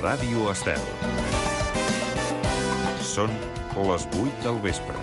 Ràdio Estel. Són les 8 del vespre.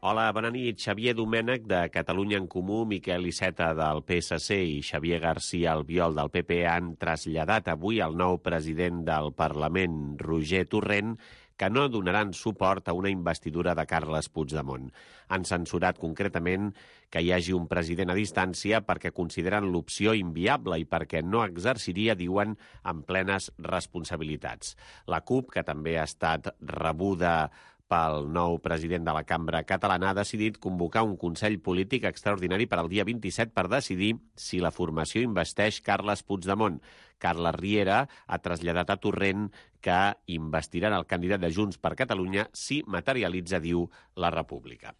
Hola, bona nit. Xavier Domènech, de Catalunya en Comú, Miquel Iceta, del PSC, i Xavier García Albiol, del PP, han traslladat avui al nou president del Parlament, Roger Torrent, que no donaran suport a una investidura de Carles Puigdemont. Han censurat concretament que hi hagi un president a distància perquè consideren l'opció inviable i perquè no exerciria, diuen, amb plenes responsabilitats. La CUP, que també ha estat rebuda pel nou president de la Cambra Catalana, ha decidit convocar un Consell Polític extraordinari per al dia 27 per decidir si la formació investeix Carles Puigdemont. Carles Riera ha traslladat a Torrent que investiran el candidat de Junts per Catalunya si materialitza, diu, la República.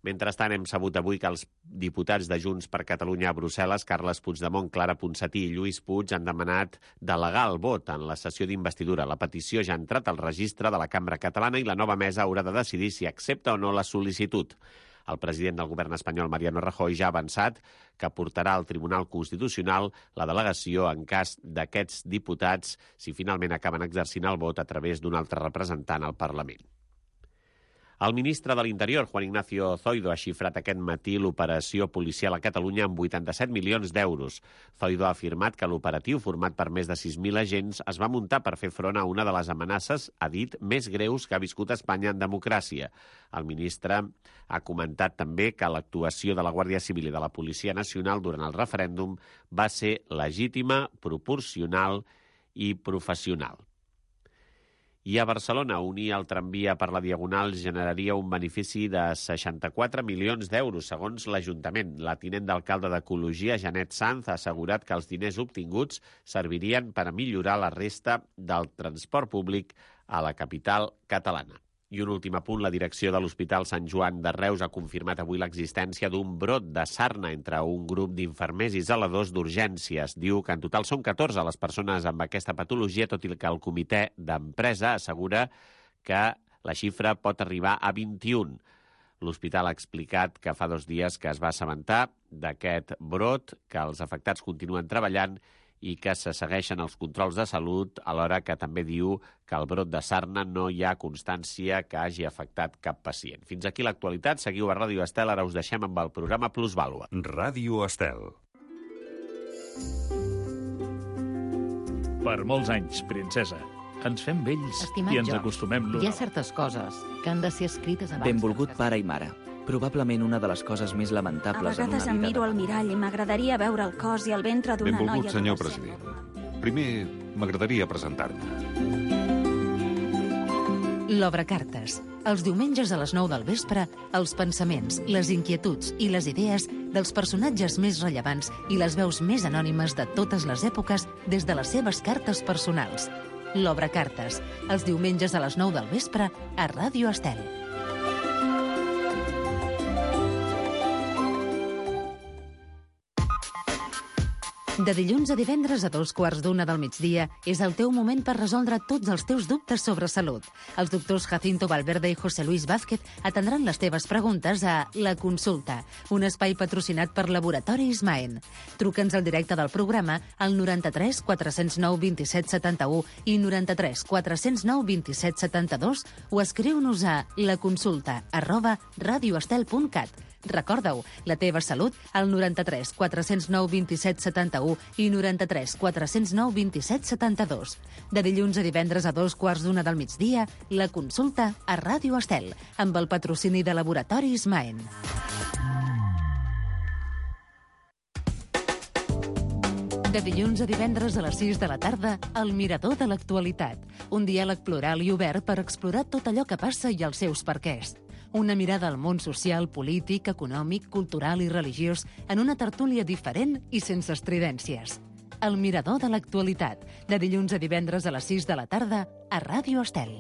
Mentrestant, hem sabut avui que els diputats de Junts per Catalunya a Brussel·les, Carles Puigdemont, Clara Ponsatí i Lluís Puig, han demanat delegar el vot en la sessió d'investidura. La petició ja ha entrat al registre de la Cambra Catalana i la nova mesa haurà de decidir si accepta o no la sol·licitud. El president del govern espanyol, Mariano Rajoy, ja ha avançat que portarà al Tribunal Constitucional la delegació en cas d'aquests diputats si finalment acaben exercint el vot a través d'un altre representant al Parlament. El ministre de l'Interior, Juan Ignacio Zoido, ha xifrat aquest matí l'operació policial a Catalunya amb 87 milions d'euros. Zoido ha afirmat que l'operatiu, format per més de 6.000 agents, es va muntar per fer front a una de les amenaces, ha dit, més greus que ha viscut Espanya en democràcia. El ministre ha comentat també que l'actuació de la Guàrdia Civil i de la Policia Nacional durant el referèndum va ser legítima, proporcional i professional. I a Barcelona, unir el tramvia per la Diagonal generaria un benefici de 64 milions d'euros, segons l'Ajuntament. La tinent d'alcalde d'Ecologia, Janet Sanz, ha assegurat que els diners obtinguts servirien per a millorar la resta del transport públic a la capital catalana. I un últim apunt, la direcció de l'Hospital Sant Joan de Reus ha confirmat avui l'existència d'un brot de sarna entre un grup d'infermers i zeladors d'urgències. Diu que en total són 14 les persones amb aquesta patologia, tot i que el comitè d'empresa assegura que la xifra pot arribar a 21. L'hospital ha explicat que fa 2 dies que es va assabentar d'aquest brot, que els afectats continuen treballant i que se segueixen els controls de salut, alhora que també diu que el brot de sarna no hi ha constància que hagi afectat cap pacient. Fins aquí l'actualitat. Seguiu a Ràdio Estel. Ara us deixem amb el programa Plusvàlua. Ràdio Estel. Per molts anys, princesa. Ens fem vells. Estimat i ens George, acostumem l'un hi ha a l'altre. certes coses que han de ser escrites abans. Benvolgut pare i mare. Probablement una de les coses més A lamentables en una vegades em vida miro de al mirall i m'agradaria veure el cos i el ventre d'una noia... Benvolgut, senyor adolescent. president. Primer, m'agradaria presentar-me. L'Obre Cartes. Els diumenges a les 9 del vespre, els pensaments, les inquietuds i les idees dels personatges més rellevants i les veus més anònimes de totes les èpoques des de les seves cartes personals. L'Obre Cartes. Els diumenges a les 9 del vespre a Ràdio Estel. De dilluns a divendres a 2:15 del migdia és el teu moment per resoldre tots els teus dubtes sobre salut. Els doctors Jacinto Valverde i José Luis Vázquez atendran les teves preguntes a La Consulta, un espai patrocinat per Laboratori Ismaen. Truca'ns al directe del programa al 93 409 27 71 i 93 409 27 72 o escriu-nos a laconsulta@radioestel.cat. Recorda-ho, la teva salut al 93 409 27 71 i 93 409 27 72. De dilluns a divendres a 2:15 del migdia, La Consulta a Ràdio Estel, amb el patrocini de Laboratori Ismaen. De dilluns a divendres a les 6 de la tarda, El Mirador de l'Actualitat. Un diàleg plural i obert per explorar tot allò que passa i els seus perquès. Una mirada al món social, polític, econòmic, cultural i religiós en una tertúlia diferent i sense estridències. El Mirador de l'Actualitat, de dilluns a divendres a les 6 de la tarda a Ràdio Estel.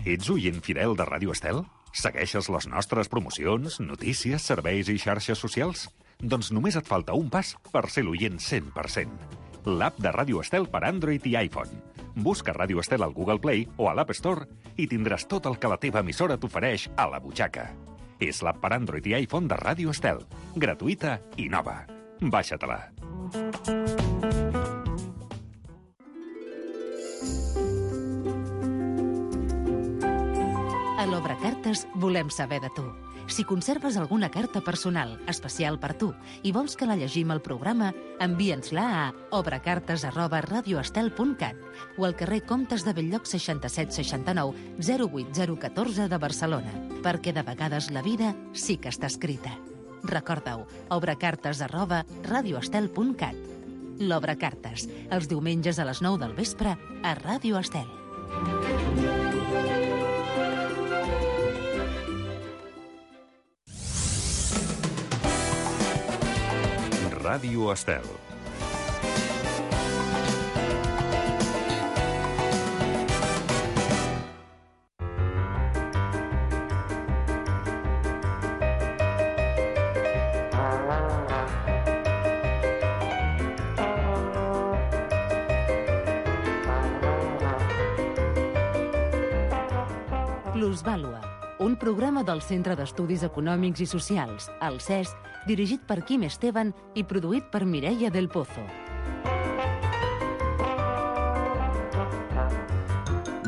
Ets oient fidel de Ràdio Estel? Segueixes les nostres promocions, notícies, serveis i xarxes socials? Doncs només et falta un pas per ser l'oient 100%. L'app de Ràdio Estel per Android i iPhone. Busca Ràdio Estel al Google Play o a l'App Store i tindràs tot el que la teva emissora t'ofereix a la butxaca. És l'app per Android i iPhone de Ràdio Estel. Gratuïta i nova. Baixa-te-la. A l'Obracartes volem saber de tu. Si conserves alguna carta personal, especial per tu, i vols que la llegim al programa, envia'ns-la a obracartes@radioestel.cat o al carrer Comtes de Belllloc 6769 08014 de Barcelona, perquè de vegades la vida sí que està escrita. Recorda-ho, obracartes@radioestel.cat. L'Obracartes, els diumenges a les 9 del vespre a Ràdio Estel. Ràdio Estel. Plusvàlua, un programa del Centre d'Estudis Econòmics i Socials, el CES, dirigit per Quim Esteban i produït per Mireia del Pozo.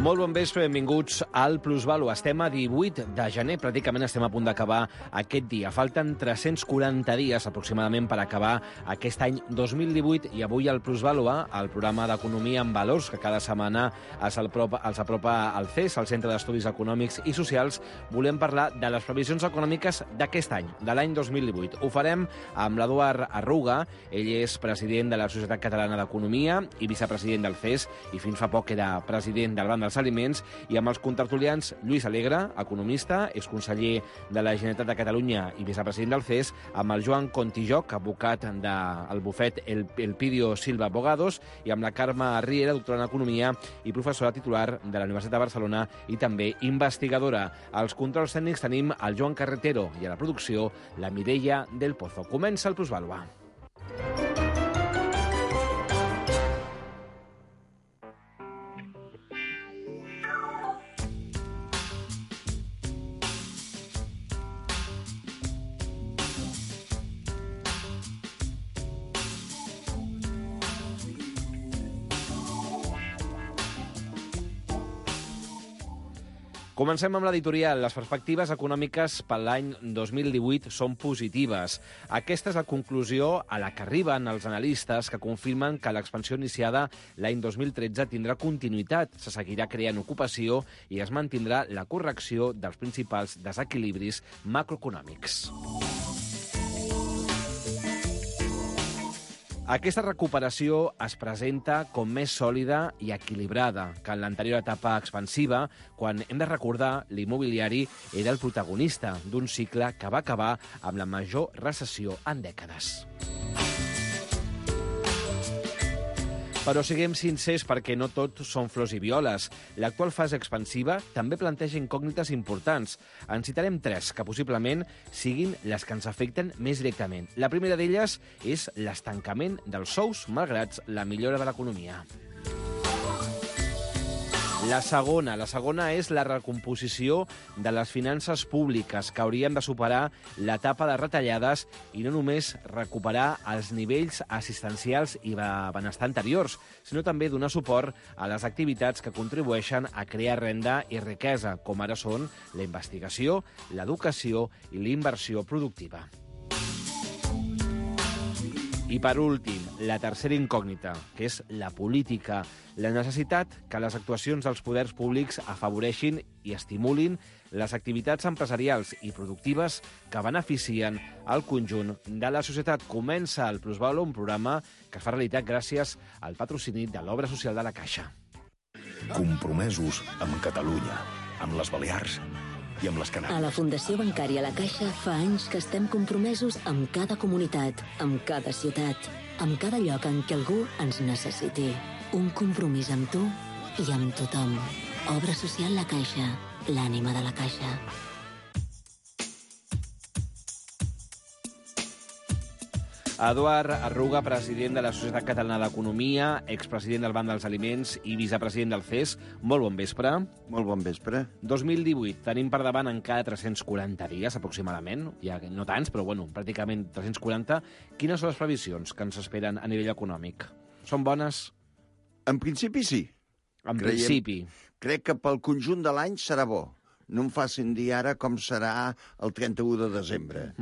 Molt bon vespre, benvinguts al Plusvàlua. Estem a 18 de gener, pràcticament estem a punt d'acabar aquest dia. Falten 340 dies aproximadament per acabar aquest any 2018 i avui al Plusvàlua, el programa d'Economia en Valors, que cada setmana els apropa al CES, el Centre d'Estudis Econòmics i Socials, volem parlar de les previsions econòmiques d'aquest any, de l'any 2018. Ho farem amb l'Eduard Arruga, ell és president de la Societat Catalana d'Economia i vicepresident del CES, i fins fa poc era president del Banc dels Aliments, i amb els contertulians Lluís Alegre, economista, és conseller de la Generalitat de Catalunya i vicepresident del CES, amb el Joan Contijoc, advocat del bufet Elpidio Silva Abogados, i amb la Carme Riera, doctora en Economia i professora titular de la Universitat de Barcelona i també investigadora. Als controls tècnics tenim el Joan Carretero i a la producció la Mireia del Pozo. Comença el Plusvàlua. Comencem amb l'editorial. Les perspectives econòmiques per l'any 2018 són positives. Aquesta és la conclusió a la que arriben els analistes, que confirmen que l'expansió iniciada l'any 2013 tindrà continuïtat, se seguirà creant ocupació i es mantindrà la correcció dels principals desequilibris macroeconòmics. Aquesta recuperació es presenta com més sòlida i equilibrada que en l'anterior etapa expansiva, quan hem de recordar l'immobiliari era el protagonista d'un cicle que va acabar amb la major recessió en dècades. Però siguem sincers, perquè no tot són flors i violes. L'actual fase expansiva també planteja incògnites importants. En citarem 3, que possiblement siguin les que ens afecten més directament. La primera d'elles és l'estancament dels sous, malgrat la millora de l'economia. La segona és la recomposició de les finances públiques, que haurien de superar l'etapa de retallades i no només recuperar els nivells assistencials i de benestar anteriors, sinó també donar suport a les activitats que contribueixen a crear renda i riquesa, com ara són la investigació, l'educació i la inversió productiva. I per últim, la tercera incògnita, que és la política, la necessitat que les actuacions dels poders públics afavoreixin i estimulin les activitats empresarials i productives que beneficien el conjunt de la societat. Comença el Plusvàlua, un programa que fa realitat gràcies al patrocini de l'Obra Social de la Caixa. Compromesos amb Catalunya, amb les Balears i amb les Canàries. A la Fundació Bancària La Caixa fa anys que estem compromesos amb cada comunitat, amb cada ciutat, amb cada lloc en què algú ens necessiti. Un compromís amb tu i amb tothom. Obra Social La Caixa, l'ànima de la Caixa. Eduard Arruga, president de la Societat Catalana d'Economia, expresident del Banc dels Aliments i vicepresident del CES. Molt bon vespre. Molt bon vespre. 2018, tenim per davant encara 340 dies, aproximadament. Ja no tants, però bueno, pràcticament 340. Quines són les previsions que ens esperen a nivell econòmic? Són bones? En principi, sí. Principi. Crec que pel conjunt de l'any serà bo. No em facin dir ara com serà el 31 de desembre.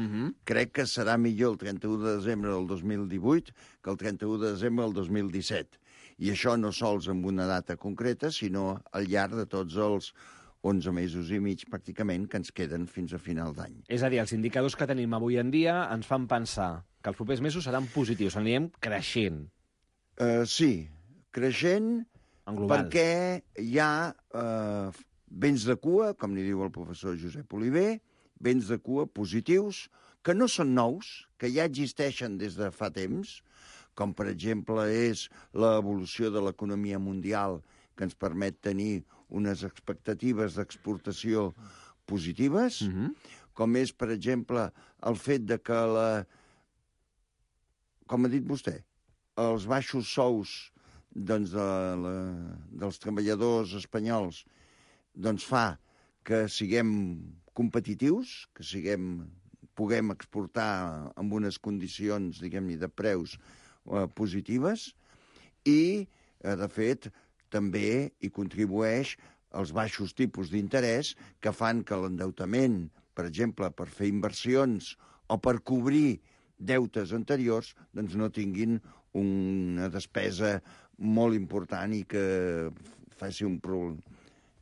Crec que serà millor el 31 de desembre del 2018 que el 31 de desembre del 2017. I això no sols amb una data concreta, sinó al llarg de tots els 11 mesos i mig, pràcticament, que ens queden fins a final d'any. És a dir, els indicadors que tenim avui en dia ens fan pensar que els propers mesos seran positius, anirem creixent. Sí, creixent, perquè hi ha vents de cua, com li diu el professor Josep Oliver, vents de cua positius, que no són nous, que ja existeixen des de fa temps, com per exemple és l'evolució de l'economia mundial, que ens permet tenir unes expectatives d'exportació positives, com és, per exemple, el fet de que com ha dit vostè, els baixos sous dels treballadors espanyols fa que siguem competitius, que puguem exportar amb unes condicions, diguem-ne, de preus positives i, de fet, també hi contribueix els baixos tipus d'interès que fan que l'endeutament, per exemple, per fer inversions o per cobrir deutes anteriors, doncs no tinguin una despesa molt important i que faci un problema,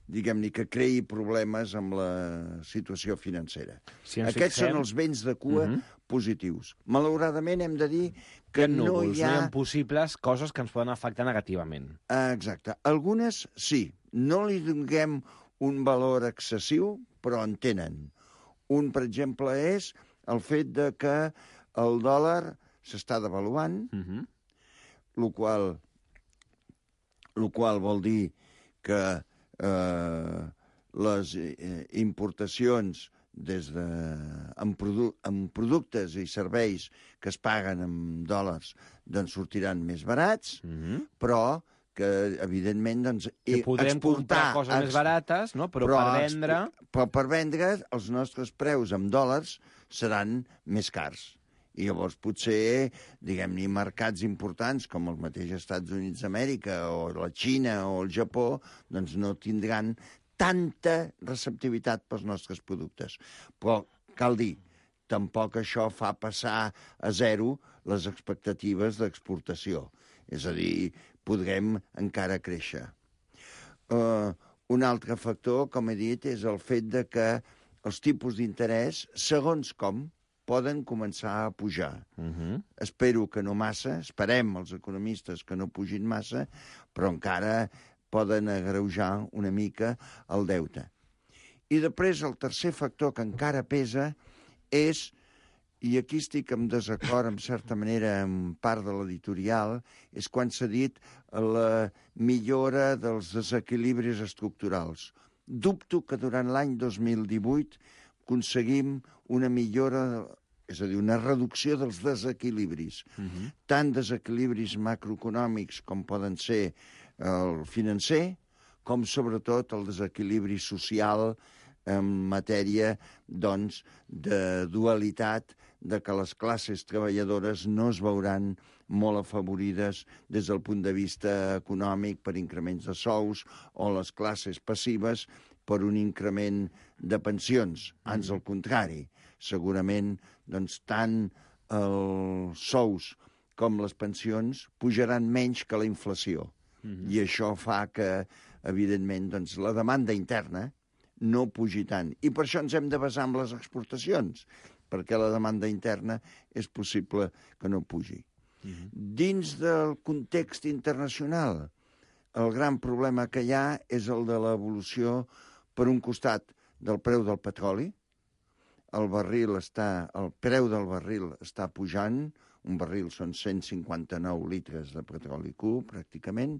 diguem-ne, que creï problemes amb la situació financera. Aquests són els vents de cua positius. Malauradament hem de dir que no hi ha possibles coses que ens poden afectar negativament. Exacte. Algunes sí. No li donem un valor excessiu, però en tenen. Un, per exemple, és el fet de que el dòlar s'està devaluant, el qual vol dir que les importacions en productes i serveis que es paguen en dòlars doncs sortiran més barats, però que, evidentment, podrem comprar coses més barates, no? Però per vendre els nostres preus en dòlars seran més cars. I llavors potser, diguem-ne, mercats importants com els mateixos Estats Units d'Amèrica o la Xina o el Japó, doncs no tindran tanta receptivitat pels nostres productes. Però cal dir, tampoc això fa passar a zero les expectatives d'exportació. És a dir, podrem encara créixer. Un altre factor, com he dit, és el fet de que els tipus d'interès, segons com, poden començar a pujar. Espero que no massa, esperem els economistes que no pugin massa, però encara poden agreujar una mica el deute. I després el tercer factor que encara pesa és, i aquí estic en desacord en certa manera en part de l'editorial, és quan s'ha dit la millora dels desequilibris estructurals. Dubto que durant l'any 2018 aconseguim una millora, és a dir, una reducció dels desequilibris. Tant desequilibris macroeconòmics com poden ser el financer, com sobretot el desequilibri social en matèria, doncs, de dualitat, de que les classes treballadores no es veuran molt afavorides des del punt de vista econòmic per increments de sous o les classes passives per un increment de pensions. Ans al contrari, segurament doncs, tant els sous com les pensions pujaran menys que la inflació. I això fa que, evidentment, doncs, la demanda interna no pugi tant. I per això ens hem de basar en les exportacions, perquè la demanda interna és possible que no pugi. Dins del context internacional, el gran problema que hi ha és el de l'evolució, per un costat, del preu del petroli. El preu del barril està pujant, un barril són 159 litres de petroli cru, pràcticament,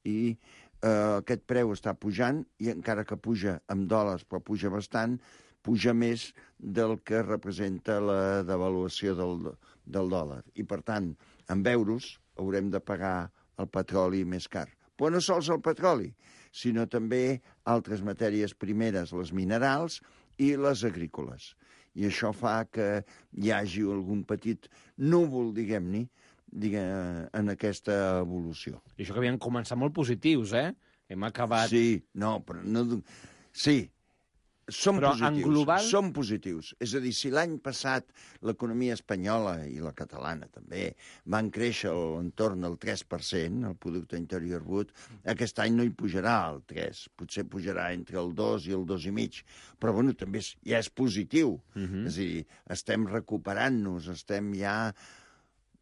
i aquest preu està pujant, i encara que puja amb dòlars, però puja bastant, puja més del que representa la devaluació del del dòlar. I, per tant, amb euros haurem de pagar el petroli més car. Però no sols el petroli, sinó també altres matèries primeres, les minerals i les agrícoles. I això fa que hi hagi algun petit núvol, diguem-ne, en aquesta evolució. I això que havien començat molt positius, eh? Hem acabat... Sí, no, però no... Sí, són però positius. En global... Són positius. És a dir, si l'any passat l'economia espanyola i la catalana també van créixer a l'entorn del 3%, el producte interior brut, aquest any no hi pujarà el 3%. Potser pujarà entre el 2 i el 2,5%. Però, bueno, també ja és positiu. És a dir, estem recuperant-nos, estem ja...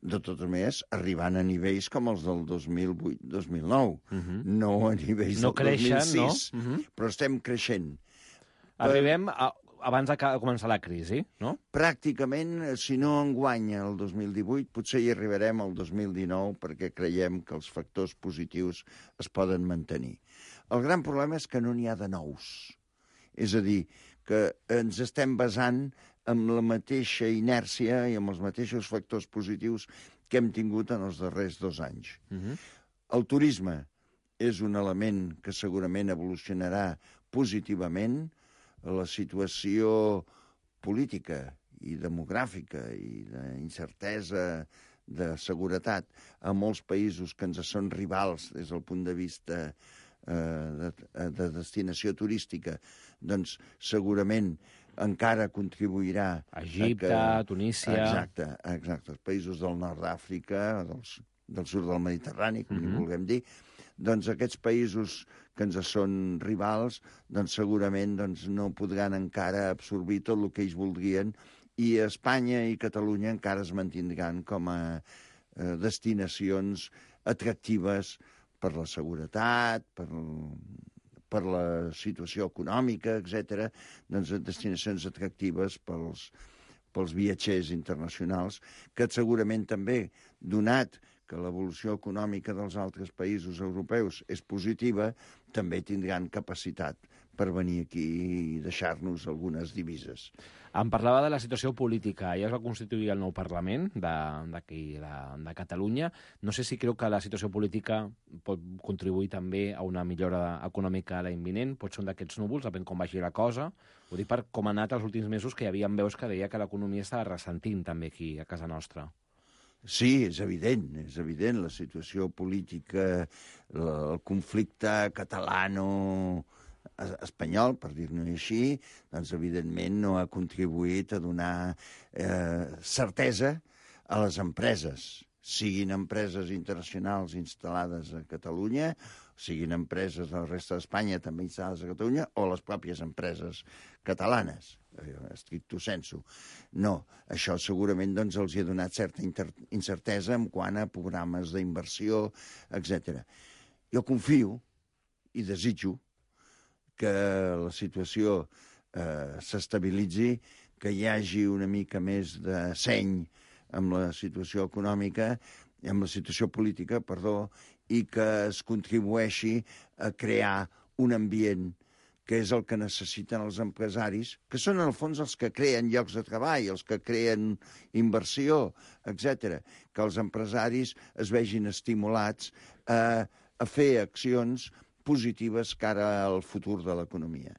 de totes maneres, arribant a nivells com els del 2008-2009, no a nivells del 2006, no? Però estem creixent. Arribem abans de començar la crisi, no? Pràcticament, si no enguanya el 2018, potser hi arribarem al 2019 perquè creiem que els factors positius es poden mantenir. El gran problema és que no n'hi ha de nous. És a dir, que ens estem basant amb la mateixa inèrcia i amb els mateixos factors positius que hem tingut en els darrers 2 anys. El turisme és un element que segurament evolucionarà positivament. La situació política i demogràfica i d'incertesa de seguretat a molts països que ens són rivals des del punt de vista de destinació turística, doncs segurament encara contribuirà... Egipte, Tunísia... Exacte, els països del nord d'Àfrica, del sud del Mediterrani, com li vulguem dir, doncs aquests països que ens són rivals, doncs segurament no podran encara absorbir tot el que ells voldrien, i Espanya i Catalunya encara es mantindran com a destinacions atractives per la seguretat, per la situació econòmica, etc., doncs destinacions atractives pels viatgers internacionals, que segurament també, donat que l'evolució econòmica dels altres països europeus és positiva, també tindran capacitat per venir aquí i deixar-nos algunes divises. Em parlava de la situació política. Ja es va constituir el nou Parlament de Catalunya. No sé si creu que la situació política pot contribuir també a una millora econòmica a l'any vinent. Pot ser un d'aquests núvols, depèn com vagi la cosa. Ho dic per com ha anat els últims mesos, que hi havia veus que deia que l'economia estava ressentint també aquí, a casa nostra. Sí, és evident la situació política, el conflicte catalano-espanyol, per dir-ne així, doncs evidentment no ha contribuït a donar certesa a les empreses, siguin empreses internacionals instal·lades a Catalunya, siguin empreses de la resta d'Espanya també instal·lades a Catalunya, o les pròpies empreses catalanes, estricto sensu. No, això segurament doncs, els ha donat certa incertesa en quant a programes d'inversió, etc. Jo confio i desitjo que la situació s'estabilitzi, que hi hagi una mica més de seny amb la situació econòmica, amb la situació política, perdó, i que es contribueixi a crear un ambient que és el que necessiten els empresaris, que són, en el fons, els que creen llocs de treball, els que creen inversió, etc. Que els empresaris es vegin estimulats a fer accions positives cara al futur de l'economia.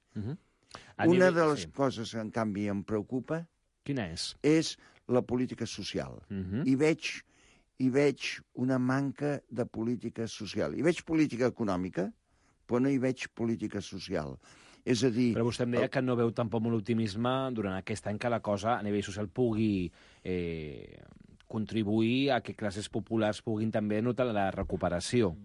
Una de les coses que, en canvi, em preocupa... Quina és? És la política social. I veig una manca de política social. Hi veig política econòmica, però no hi veig política social. És a dir... Però vostè em deia que no veu tampoc molt optimisme durant aquest any que la cosa a nivell social pugui contribuir a que classes populars puguin també notar la recuperació.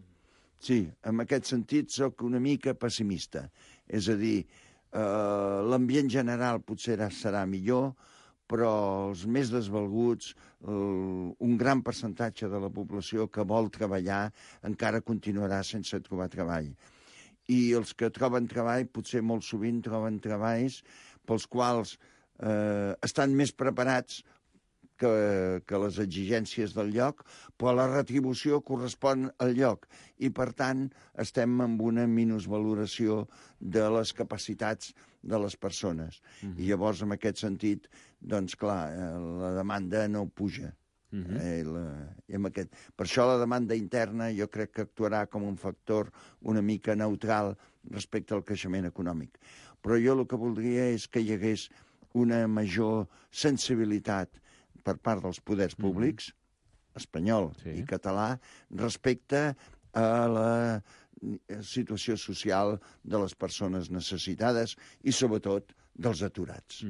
Sí, en aquest sentit soc una mica pessimista. És a dir, l'ambient general potser serà millor, però els més desvalguts, un gran percentatge de la població que vol treballar encara continuarà sense trobar treball. I els que troben treball, potser molt sovint troben treballs pels quals estan més preparats que les exigències del lloc, però la retribució correspon al lloc. I, per tant, estem amb una minusvaloració de les capacitats de les persones. I llavors, en aquest sentit, doncs, clar, la demanda no puja. Per això la demanda interna jo crec que actuarà com un factor una mica neutral respecte al creixement econòmic. Però jo el que voldria és que hi hagués una major sensibilitat per part dels poders públics, espanyol i català, respecte a la situació social de les persones necessitades i, sobretot, dels aturats.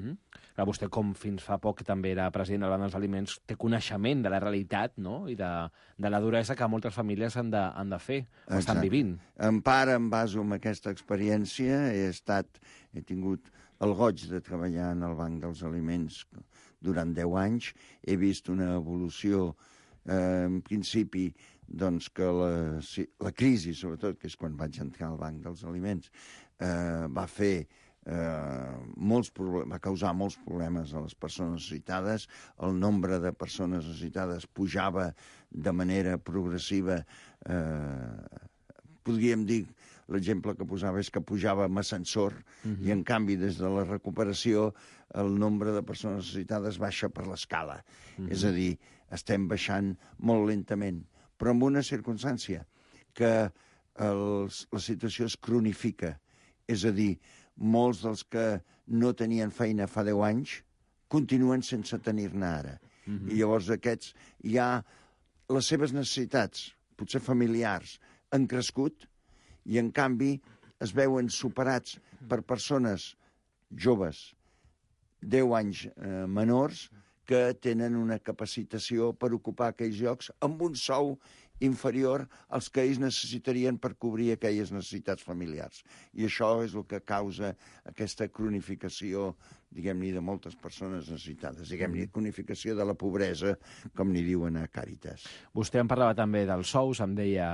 Clar, vostè, com fins fa poc també era president del Banc dels Aliments, té coneixement de la realitat, no?, i de la duresa que moltes famílies han de fer, o estan vivint. En part, em baso en aquesta experiència. He tingut el goig de treballar en el Banc dels Aliments durant 10 anys. He vist una evolució, en principi, doncs, que la crisi, sobretot, que és quan vaig entrar al Banc dels Aliments, va fer va causar molts problemes a les persones necessitades. El nombre de persones necessitades pujava de manera progressiva. Podríem dir, l'exemple que posava és que pujava amb ascensor, i en canvi des de la recuperació el nombre de persones necessitades baixa per l'escala. És a dir, estem baixant molt lentament, però amb una circumstància, que la situació es cronifica. És a dir, molts dels que no tenien feina fa 10 anys continuen sense tenir-ne ara. I llavors aquests ja les seves necessitats, potser familiars, han crescut i, en canvi, es veuen superats per persones joves, 10 anys menors, que tenen una capacitació per ocupar aquells llocs amb un sou inferior als que ells necessitarien per cobrir aquelles necessitats familiars. I això és el que causa aquesta cronificació, diguem-ne, de moltes persones necessitades. Diguem-ne, cronificació de la pobresa, com n'hi diuen a Càritas. Vostè em parlava també dels sous, em deia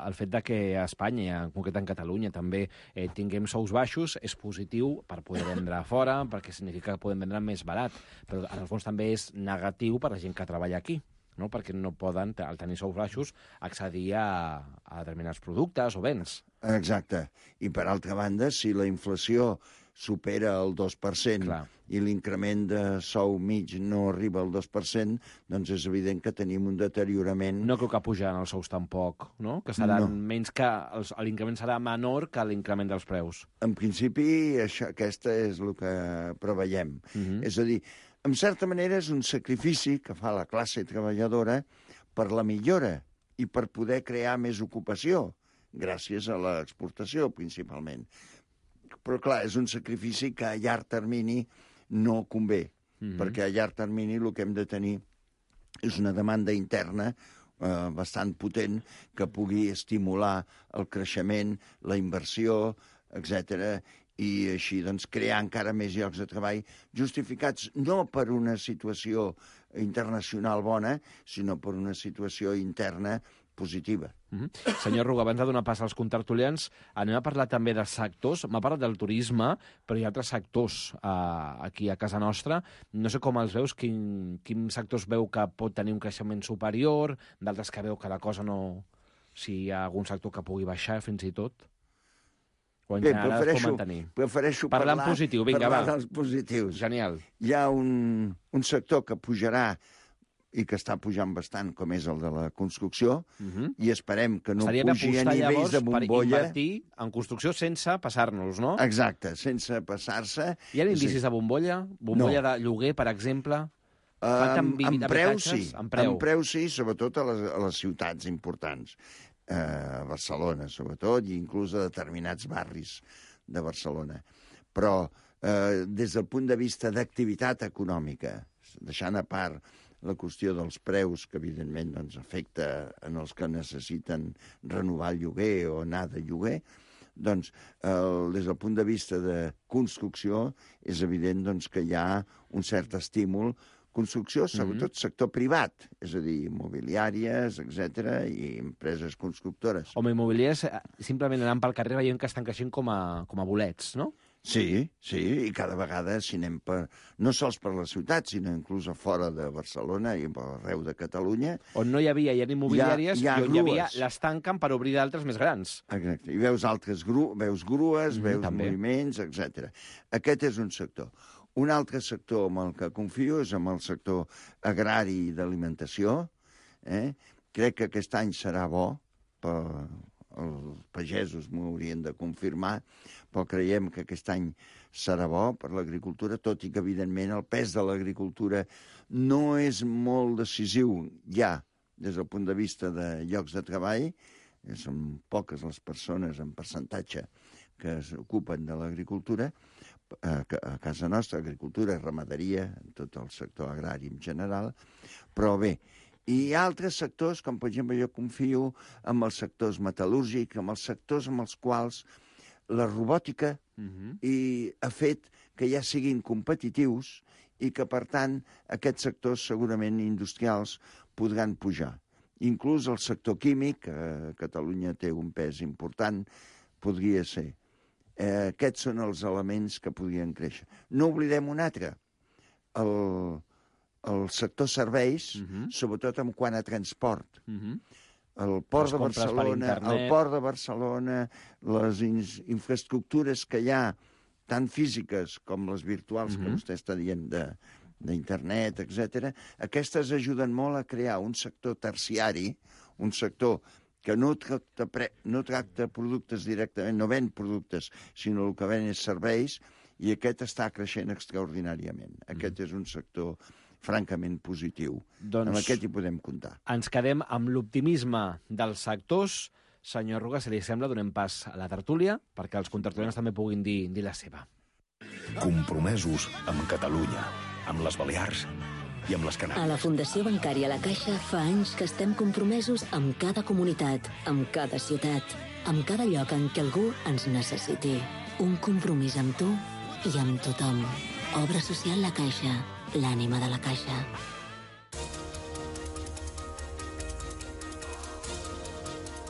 el fet de que a Espanya, en concret en Catalunya, també tinguem sous baixos, és positiu per poder vendre fora, perquè significa que podem vendre més barat, però en el fons també és negatiu per la gent que treballa aquí, no? Perquè no poden, al tenir sous baixos, accedir a determinats productes o béns. Exacte. I, per altra banda, si la inflació supera el 2% i l'increment de sou mig no arriba al 2%, doncs és evident que tenim un deteriorament. No crec que pujaran els sous tampoc, no? Que seran menys que... L'increment serà menor que l'increment dels preus. En principi, aquesta és el que preveiem. És a dir, en certa manera és un sacrifici que fa la classe treballadora per la millora i per poder crear més ocupació, gràcies a l'exportació, principalment. Però, clar, és un sacrifici que a llarg termini no convé, perquè a llarg termini el que hem de tenir és una demanda interna bastant potent que pugui estimular el creixement, la inversió, etc., i així doncs, crear encara més llocs de treball justificats no per una situació internacional bona, sinó per una situació interna positiva. Senyor Ruga, abans de donar pas als contertulians, anem a parlar també dels sectors. M'ha parlat del turisme, però hi ha altres sectors aquí a casa nostra. No sé com els veus, quins sectors veu que pot tenir un creixement superior, d'altres que veu que la cosa no... Si hi ha algun sector que pugui baixar, fins i tot... Bé, prefereixo parlar en positiu. Vinga, parlar dels positius. Genial. Hi ha un sector que pujarà i que està pujant bastant, com és el de la construcció, i esperem que no pugi a nivells de bombolla. Per invertir en construcció sense passar-nos, no? Exacte, sense passar-se. Hi ha indicis de bombolla? Bombolla de lloguer, per exemple? En preu sí, sobretot a les ciutats importants. A Barcelona, sobretot, i inclús a determinats barris de Barcelona. Però des del punt de vista d'activitat econòmica, deixant a part la qüestió dels preus, que evidentment doncs, afecta en els que necessiten renovar el lloguer o anar de lloguer, doncs, des del punt de vista de construcció, és evident doncs, que hi ha un cert estímul. Construcció, sobretot sector privat, és a dir, immobiliàries, etc., i empreses constructores. Home, immobiliàries, simplement anant pel carrer veiem que estan creixent com a bolets, no? Sí, i cada vegada, si anem no sols per la ciutat, sinó inclús a fora de Barcelona i arreu de Catalunya... On no hi havia immobiliàries, i on hi havia les tanquen per obrir d'altres més grans. Exacte, i veus grues, veus moviments, etc. Aquest és un sector. Un altre sector amb el que confio és amb el sector agrari i d'alimentació. Crec que aquest any serà bo, els pagesos m'ho haurien de confirmar, però creiem que aquest any serà bo per l'agricultura, tot i que, evidentment, el pes de l'agricultura no és molt decisiu ja des del punt de vista de llocs de treball. Són poques les persones en percentatge que s'ocupen de l'agricultura, a casa nostra, agricultura, ramaderia, tot el sector agrari en general, però bé. I hi ha altres sectors, com per exemple jo confio en els sectors metal·lúrgics, en els sectors amb els quals la robòtica ha fet que ja siguin competitius i que, per tant, aquests sectors segurament industrials podran pujar. Inclús el sector químic, que a Catalunya té un pes important, podria ser. Aquests són els elements que podrien créixer. No oblidem un altre, el sector serveis, sobretot en quant a transport. El port de Barcelona, les infraestructures que hi ha, tant físiques com les virtuals, que vostè està dient d'internet, etc. Aquestes ajuden molt a crear un sector terciari, un sector que no tracta productes directament, no ven productes, sinó el que ven és serveis, i aquest està creixent extraordinàriament. Aquest és un sector francament positiu. Amb aquest hi podem comptar. Ens quedem amb l'optimisme dels sectors. Senyor Arruga, si li sembla, donem pas a la tertúlia, perquè els contertulians també puguin dir la seva. Compromesos amb Catalunya, amb les Balears i amb les Canàries. A la Fundació Bancària La Caixa fa anys que estem compromesos amb cada comunitat, amb cada ciutat, amb cada lloc en què algú ens necessiti. Un compromís amb tu i amb tothom. Obra social La Caixa, l'ànima de la Caixa.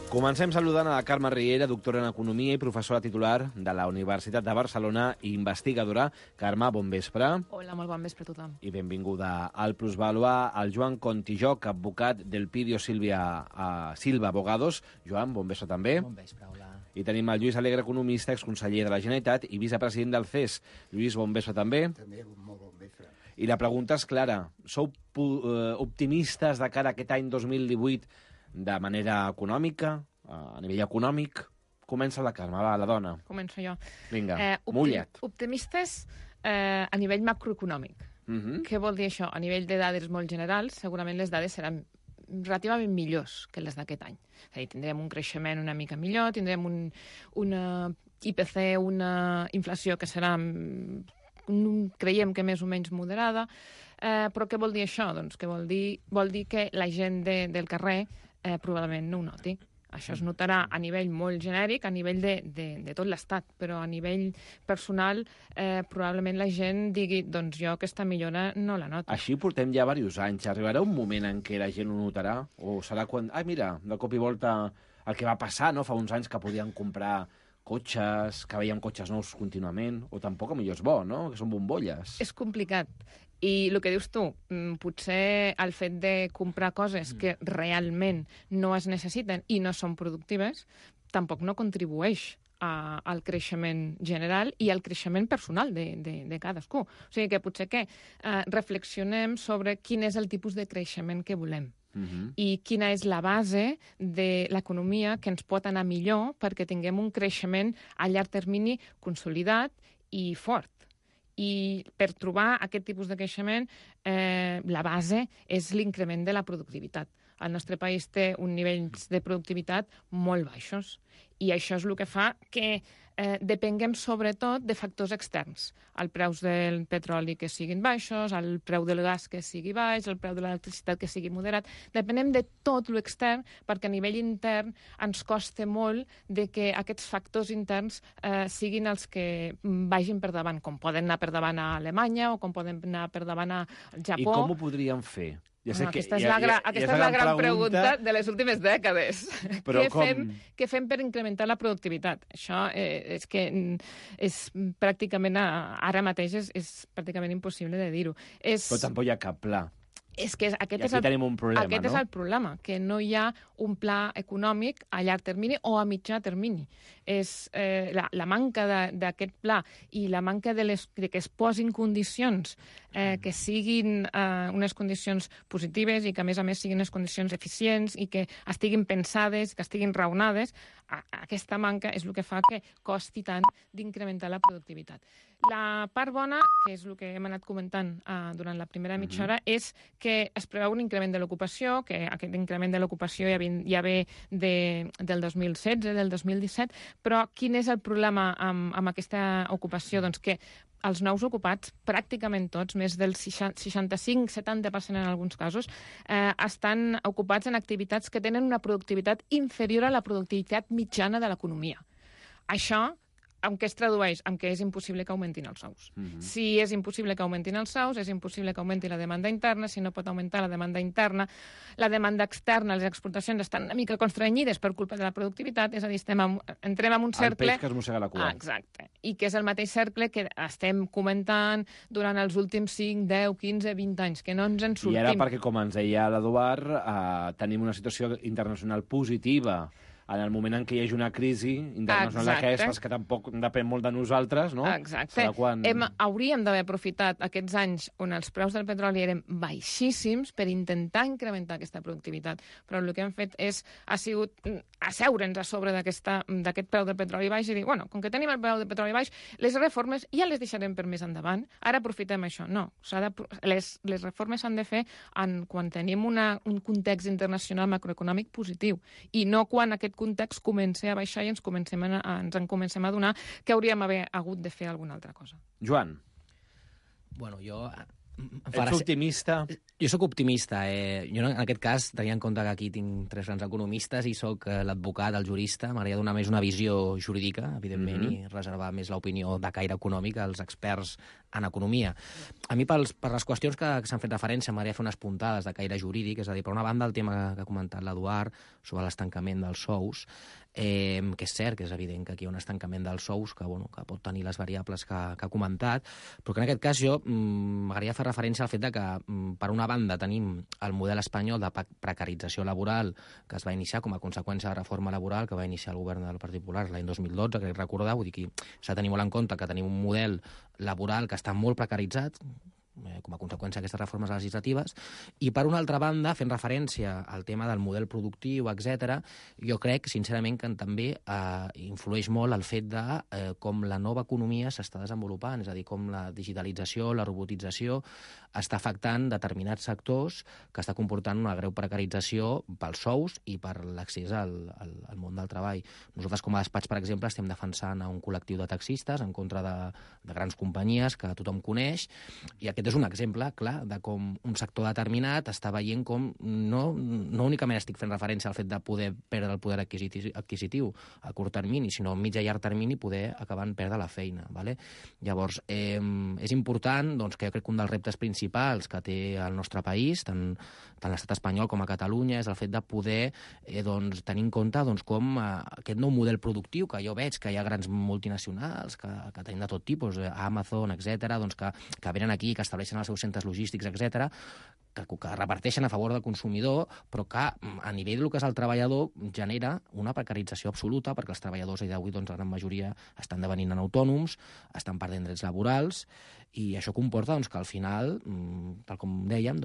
Comencem saludant a la Carme Riera, doctora en Economia i professora titular de la Universitat de Barcelona i investigadora. Carme, bon vespre. Hola, molt bon vespre a tothom. I benvinguda al Plusvàlua, al Joan Contijoc, advocat del Pidio Silva Abogados. Joan, bon vespre també. Bon vespre, hola. I tenim el Lluís Alegre, economista, exconseller de la Generalitat i vicepresident del CES. Lluís, bon vespre també. També, molt bon vespre. I la pregunta és clara. Sou optimistes de cara a aquest any 2018 de manera econòmica, a nivell econòmic? Comença la Carme, va, la dona. Començo jo. Vinga, mulla't. Optimistes a nivell macroeconòmic. Què vol dir això? A nivell de dades molt generals, segurament les dades seran relativament millors que les d'aquest any. És a dir, tindrem un creixement una mica millor, tindrem una IPC, una inflació que serà, creiem que més o menys moderada, però què vol dir això? Doncs que vol dir que la gent del carrer probablement no ho noti. Això es notarà a nivell molt genèric, a nivell de tot l'Estat, però a nivell personal probablement la gent digui doncs jo aquesta millora no la noto. Així portem ja diversos anys. Arribarà un moment en què la gent ho notarà? O serà quan... mira, de cop i volta el que va passar, no? Fa uns anys que podien comprar cotxes, que veiem cotxes nous contínuament, o tampoc millor és bo, no? Que són bombolles. És complicat. I el que dius tu, potser el fet de comprar coses que realment no es necessiten i no són productives, tampoc no contribueix al creixement general i al creixement personal de cadascú. O sigui que potser que reflexionem sobre quin és el tipus de creixement que volem. I quina és la base de l'economia que ens pot anar millor perquè tinguem un creixement a llarg termini consolidat i fort. I per trobar aquest tipus de creixement, la base és l'increment de la productivitat. El nostre país té un nivell de productivitat molt baixos i això és el que fa que depenguem sobretot de factors externs. El preu del petroli que siguin baixos, el preu del gas que sigui baix, el preu de l'electricitat que sigui moderat. Depenem de tot l'extern perquè a nivell intern ens costa molt de que aquests factors interns siguin els que vagin per davant, com poden anar per davant a Alemanya o com poden anar per davant al Japó. I com ho podríem fer? Aquesta és la gran pregunta de les últimes dècades. Què fem per incrementar la productivitat? Això és que és pràcticament, ara mateix és pràcticament impossible de dir-ho. Però tampoc hi ha cap pla. És que tenim un problema, aquest és el problema, que no hi ha un pla econòmic a llarg termini o a mitjà termini. És la manca d'aquest pla i la manca de que es posin condicions que siguin unes condicions positives i que, a més siguin unes condicions eficients i que estiguin pensades, que estiguin raonades, aquesta manca és el que fa que costi tant d'incrementar la productivitat. La part bona, que és el que hem anat comentant durant la primera mitja hora, és que es preveu un increment de l'ocupació, que aquest increment de l'ocupació ja ve del 2016, del 2017, però quin és el problema amb aquesta ocupació? Doncs que els nous ocupats, pràcticament tots, més del 65-70% en alguns casos, estan ocupats en activitats que tenen una productivitat inferior a la productivitat mitjana de l'economia. Això, en què es tradueix? En què és impossible que augmentin els sous. Si és impossible que augmentin els sous, és impossible que augmenti la demanda interna. Si no pot augmentar la demanda interna, la demanda externa, les exportacions estan una mica constrenyides per culpa de la productivitat, és a dir, entrem en un cercle... El peix que es mossega la cua. Exacte. I que és el mateix cercle que estem comentant durant els últims 5, 10, 15, 20 anys, que no ens en sortim. I era perquè, com ens deia l'Eduard, tenim una situació internacional positiva en el moment en què hi hagi una crisi internacional d'aquestes, que tampoc depèn molt de nosaltres, no? Exacte. Hauríem d'haver aprofitat aquests anys on els preus del petroli eren baixíssims per intentar incrementar aquesta productivitat. Però el que hem fet ha sigut asseure'ns a sobre d'aquest preu del petroli baix i dir, bueno, com que tenim el preu del petroli baix, les reformes ja les deixarem per més endavant. Ara aprofitem això. No, les reformes s'han de fer quan tenim un context internacional macroeconòmic positiu i no quan aquest context comença a baixar i ens en comencem a adonar que hauríem hagut de fer alguna altra cosa. Joan. Bueno, jo... Ets optimista? Jo sóc optimista. Jo en aquest cas, tenint en compte que aquí tinc 3 grans economistes i sóc l'advocat, el jurista, m'agradaria donar més una visió jurídica, evidentment, i reservar més l'opinió de caire econòmic als experts en economia. A mi, per les qüestions que s'han fet referència, m'agradaria fer unes puntades de caire jurídic, és a dir, per una banda, el tema que ha comentat l'Eduard sobre l'estancament dels sous, que és cert, que és evident que aquí hi ha un estancament dels sous que pot tenir les variables que ha comentat, però que en aquest cas jo m'agradaria fer referència al fet de que, per una banda, tenim el model espanyol de precarització laboral que es va iniciar com a conseqüència de la reforma laboral que va iniciar el govern del Partit Popular l'any 2012, crec recordar, vull dir que s'ha de tenir molt en compte que tenim un model laboral que està molt precaritzat, com a conseqüència d'aquestes reformes legislatives, i per una altra banda, fent referència al tema del model productiu, etc., jo crec, sincerament, que també influeix molt el fet de com la nova economia s'està desenvolupant, és a dir, com la digitalització, la robotització està afectant determinats sectors que està comportant una greu precarització pels sous i per l'accés al món del treball. Nosaltres, com a despatx, per exemple, estem defensant un col·lectiu de taxistes en contra de grans companyies que tothom coneix, i aquest és un exemple clar de com un sector determinat està veient com no únicament estic fent referència al fet de poder perdre el poder adquisitiu a curt termini, sinó a mig i llarg termini poder acabar en perdre la feina. Vale? Llavors, és important que jo crec que un dels reptes principals que té el nostre país, tant l'estat espanyol com a Catalunya, és el fet de poder tenir en compte com aquest nou model productiu, que jo veig que hi ha grans multinacionals que tenim de tot tipus, Amazon, etc., que venen aquí, que estableixen els seus centres logístics, etc., que reparteixen a favor del consumidor, però que a nivell del que és el treballador genera una precarització absoluta, perquè els treballadors d'avui, la gran majoria, estan devenint autònoms, estan perdent drets laborals, i això comporta que al final, tal com dèiem,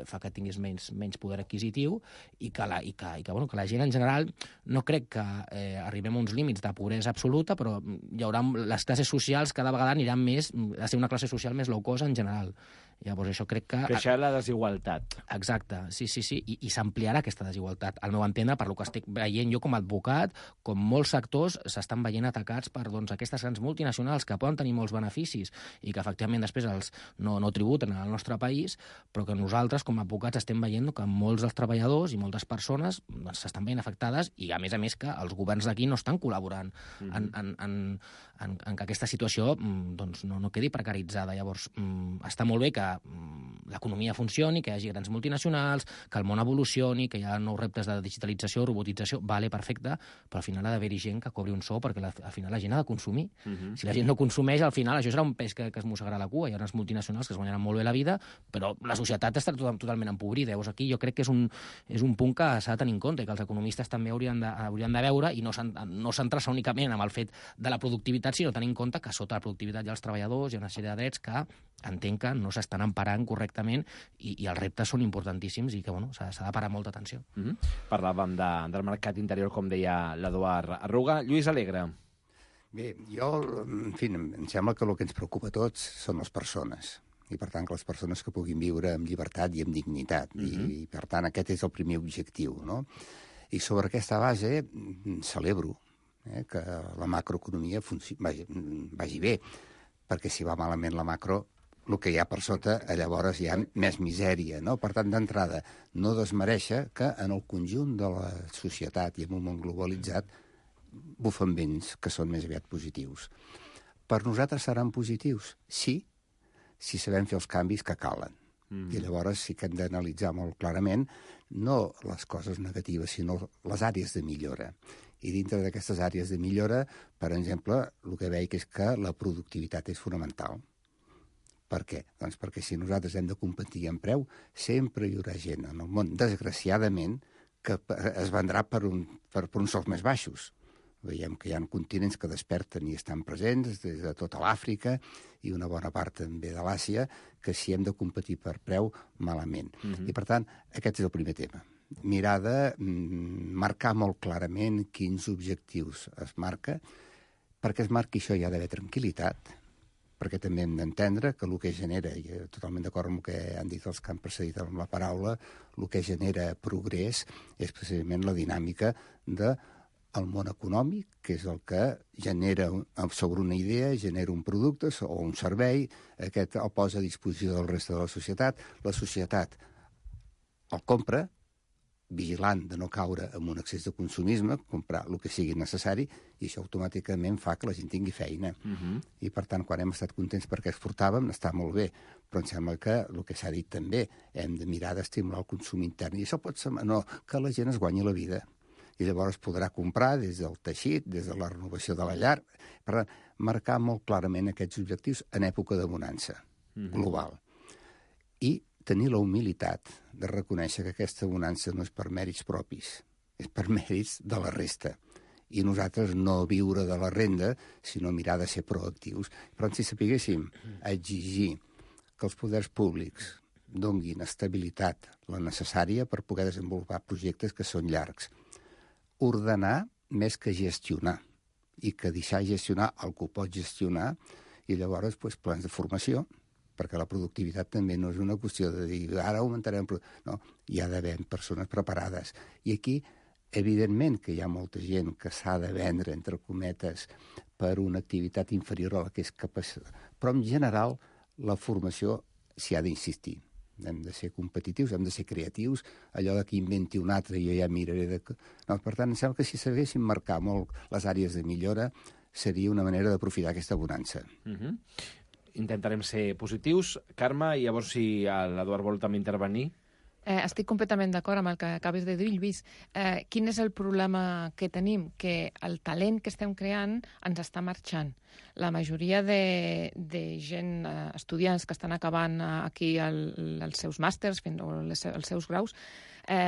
fa que tinguis menys poder adquisitiu i que la gent en general, no crec que arribem a uns límits de pobresa absoluta, però hi haurà les classes socials cada vegada aniran més a ser una classe social més low cost en general. Llavors això crec que... Creixerà la desigualtat. Exacte, sí, i s'ampliarà aquesta desigualtat. Al meu entendre, per lo que estic veient jo com a advocat, com molts sectors s'estan veient atacats per aquestes grans multinacionals que poden tenir molts beneficis i que efectivament després no tributen al nostre país, però que nosaltres com a advocats estem veient que molts dels treballadors i moltes persones s'estan veient afectades i a més que els governs d'aquí no estan col·laborant en que aquesta situació no quedi precaritzada. Llavors, està molt bé que l'economia funcioni, que hi hagi grans multinacionals, que el món evolucioni, que hi ha nous reptes de digitalització, robotització, vale, perfecte, però al final ha d'haver-hi gent que cobri un sou perquè al final la gent ha de consumir. Si la gent no consumeix, al final això serà un peix que es mossegarà la cua. Hi ha unes multinacionals que es guanyaran molt bé la vida, però la societat estarà totalment empobrida. Llavors aquí jo crec que és un punt que s'ha de tenir en compte i que els economistes també haurien de veure i no centrar-se únicament en el fet de la productivitat, sinó tenir en compte que sota la productivitat hi ha els treballadors, hi ha una sèrie de drets que entenc que no s'estan emparant correctament i els reptes són importantíssims i que s'ha de parar molta atenció. Parlàvem del mercat interior, com deia l'Eduard Arruga. Lluís Alegre. Bé, en fi, em sembla que el que ens preocupa a tots són les persones. I, per tant, que les persones que puguin viure amb llibertat i amb dignitat. I, per tant, aquest és el primer objectiu, no? I sobre aquesta base celebro que la macroeconomia vagi bé, perquè si va malament la macro, el que hi ha per sota, llavors hi ha més misèria, no? Per tant, d'entrada, no desmereixer que en el conjunt de la societat i en un món globalitzat bufen vents que són més aviat positius. Per nosaltres seran positius? Sí, si sabem fer els canvis que calen. I llavors sí que hem d'analitzar molt clarament no les coses negatives, sinó les àrees de millora. I dintre d'aquestes àrees de millora, per exemple, el que veig és que la productivitat és fonamental. Per què? Doncs perquè si nosaltres hem de competir en preu, sempre hi haurà gent en el món, desgraciadament, que es vendrà per uns sous més baixos. Veiem que hi ha continents que desperten i estan presents, des de tota l'Àfrica i una bona part també de l'Àsia, que si hem de competir per preu, malament. I, per tant, aquest és el primer tema. Mirar de marcar molt clarament quins objectius es marca. Perquè es marqui això hi ha d'haver tranquil·litat, perquè també hem d'entendre que el que genera, i totalment d'acord amb el que han dit els que han precedit amb la paraula, el que genera progrés és precisament la dinàmica del món econòmic, que és el que genera sobre una idea, genera un producte o un servei, aquest el posa a disposició del reste de la societat el compra, vigilant de no caure en un excés de consumisme, comprar el que sigui necessari, i això automàticament fa que la gent tingui feina. I, per tant, quan hem estat contents perquè exportàvem, està molt bé, però em sembla que el que s'ha dit també, hem de mirar d'estimular el consum intern, i això pot ser que la gent es guanyi la vida. I llavors podrà comprar des del teixit, des de la renovació de la llar, per marcar molt clarament aquests objectius en època de bonança global. I tenir la humilitat de reconèixer que aquesta bonança no és per mèrits propis, és per mèrits de la resta. I nosaltres no viure de la renda, sinó mirar de ser proactius. Però si sapiguéssim exigir que els poders públics donguin estabilitat, la necessària per poder desenvolupar projectes que són llargs, ordenar més que gestionar, i que deixar gestionar el que ho pot gestionar, i llavors plans de formació, perquè la productivitat també no és una qüestió de dir ara augmentarem... No, hi ha d'haver persones preparades. I aquí, evidentment que hi ha molta gent que s'ha de vendre, entre cometes, per una activitat inferior a la que és capaç. Però, en general, la formació s'hi ha d'insistir. Hem de ser competitius, hem de ser creatius, allò que inventi un altre jo ja miraré de... No, per tant, em sembla que si sabéssim marcar molt les àrees de millora seria una manera d'aprofitar aquesta bonança. Intentarem ser positius. Carme, i llavors si l'Eduard vol també intervenir. Estic completament d'acord amb el que acabes de dir, Lluís. Quin és el problema que tenim? Que el talent que estem creant ens està marxant. La majoria de gent, estudiants que estan acabant aquí els seus màsters o els seus graus,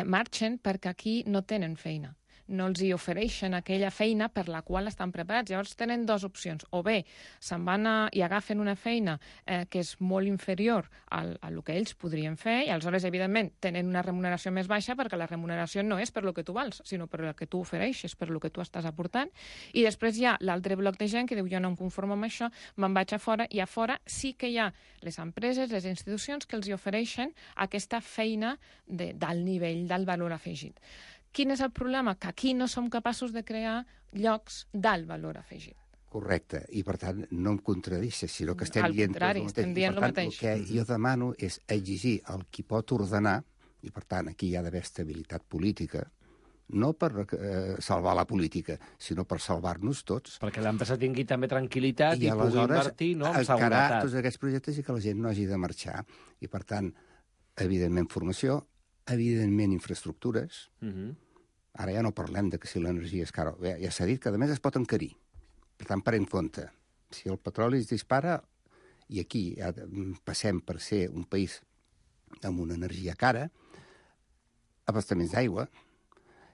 marxen perquè aquí no tenen feina. No els hi ofereixen aquella feina per la qual estan preparats. Llavors tenen dues opcions. O bé se'n van i agafen una feina que és molt inferior a el que ells podrien fer, i aleshores, evidentment, tenen una remuneració més baixa perquè la remuneració no és per lo que tu vals, sinó per el que tu ofereixes, per lo que tu estàs aportant. I després hi ha l'altre bloc de gent que diu jo no em conformo amb això, me'n vaig a fora, i a fora sí que hi ha les empreses, les institucions que els hi ofereixen aquesta feina d'alt nivell, d'alt valor afegit. Quin és el problema? Que aquí no som capaços de crear llocs d'alt valor afegit. Correcte, i per tant no em contradixes, sinó que estem dient... Al contrari, estem dient el mateix. El que jo demano és exigir el qui pot ordenar, i per tant aquí hi ha d'haver estabilitat política, no per salvar la política, sinó per salvar-nos tots. Perquè l'empresa tingui també tranquil·litat i pugui invertir en seguretat. I aleshores tots aquests projectes i que la gent no hagi de marxar. I per tant, evidentment formació, evidentment infraestructures. Ara ja no parlem de que si l'energia és cara. Ja s'ha dit que, a més, es pot encarir. Per tant, parem compte. Si el petroli es dispara, i aquí ja passem per ser un país amb una energia cara, abastaments d'aigua,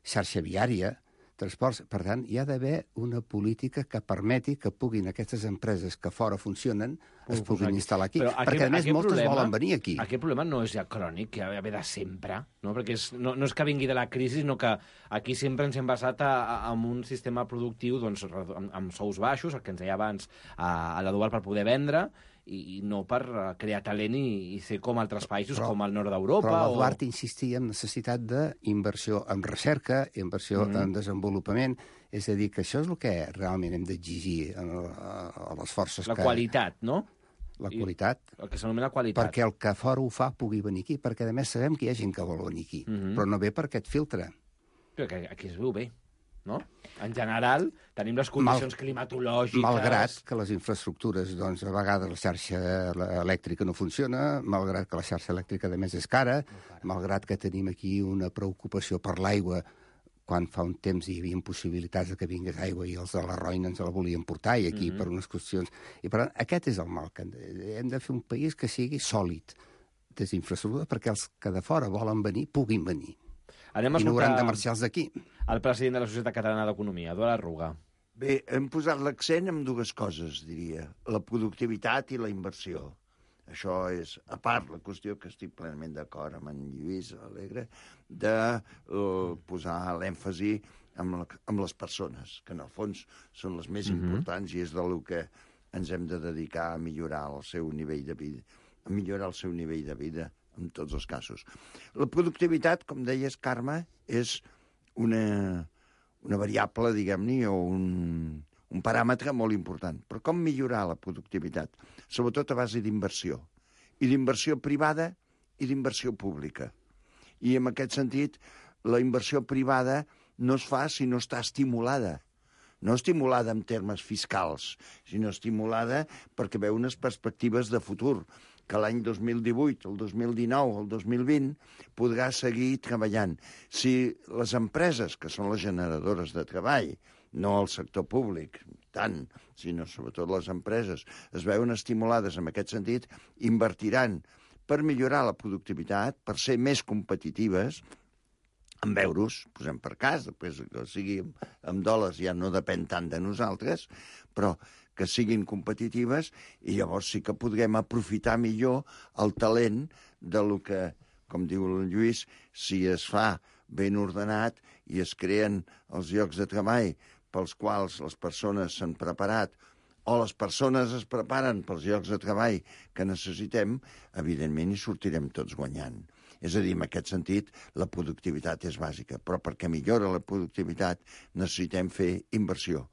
xarxa viària, transports... Per tant, hi ha d'haver una política que permeti que puguin aquestes empreses que fora funcionen es puguin instal·lar aquí. Perquè, a més, moltes volen venir aquí. Aquest problema no és ja crònic, que ve de sempre, no? Perquè no és que vingui de la crisi, sinó que aquí sempre ens hem basat en un sistema productiu amb sous baixos, el que ens deia abans, a la dual per poder vendre, i no per crear talent i ser com altres països, com el nord d'Europa. Però l'Eduard insistia en necessitat d'inversió en recerca, inversió en desenvolupament. És a dir, que això és el que realment hem d'exigir a les forces. La qualitat, no? La qualitat. El que s'anomena qualitat. Perquè el que fora ho fa pugui venir aquí, perquè a més sabem que hi ha gent que vol venir aquí, però no ve per aquest filtre. Però aquí es veu bé, no? En general, tenim les condicions climatològiques... Malgrat que les infraestructures, doncs, a vegades la xarxa elèctrica no funciona, malgrat que la xarxa elèctrica, de més, és cara, malgrat que tenim aquí una preocupació per l'aigua, quan fa un temps hi havia possibilitats de que vingués aigua i els de la Roina ens la volien portar, i aquí per unes qüestions... I per tant, aquest és el mal, que hem de fer un país que sigui sòlid des d'infraestructures perquè els que de fora volen venir puguin venir. I no hauran de marxar els d'aquí. El president de la Societat Catalana d'Economia, Eduard Arruga. Bé, hem posat l'accent en dues coses, diria. La productivitat i la inversió. Això és, a part, la qüestió que estic plenament d'acord amb en Lluís Alegre, de posar l'èmfasi amb les persones, que en el fons són les més importants i és del que ens hem de dedicar a millorar el seu nivell de vida, en tots els casos. La productivitat, com deies, Carme, és una variable, diguem-ne, o un paràmetre molt important. Però com millorar la productivitat? Sobretot a base d'inversió. I d'inversió privada i d'inversió pública. I en aquest sentit, la inversió privada no es fa si no està estimulada. No estimulada en termes fiscals, sinó estimulada perquè veu unes perspectives de futur, que l'any 2018, el 2019, el 2020 podrà seguir treballant. Si les empreses, que són les generadores de treball, no el sector públic, tant, sinó sobretot les empreses, es veuen estimulades en aquest sentit, invertiran per millorar la productivitat, per ser més competitives, en euros, posem per cas, després que sigui en dòlars ja no depèn tant de nosaltres, però que siguin competitives i llavors sí que podrem aprofitar millor el talent de lo que, com diu el Lluís, si es fa ben ordenat i es creen els llocs de treball pels quals les persones s'han preparat o les persones es preparen pels llocs de treball que necessitem, evidentment hi sortirem tots guanyant. És a dir, en aquest sentit, la productivitat és bàsica, però perquè millora la productivitat necessitem fer inversió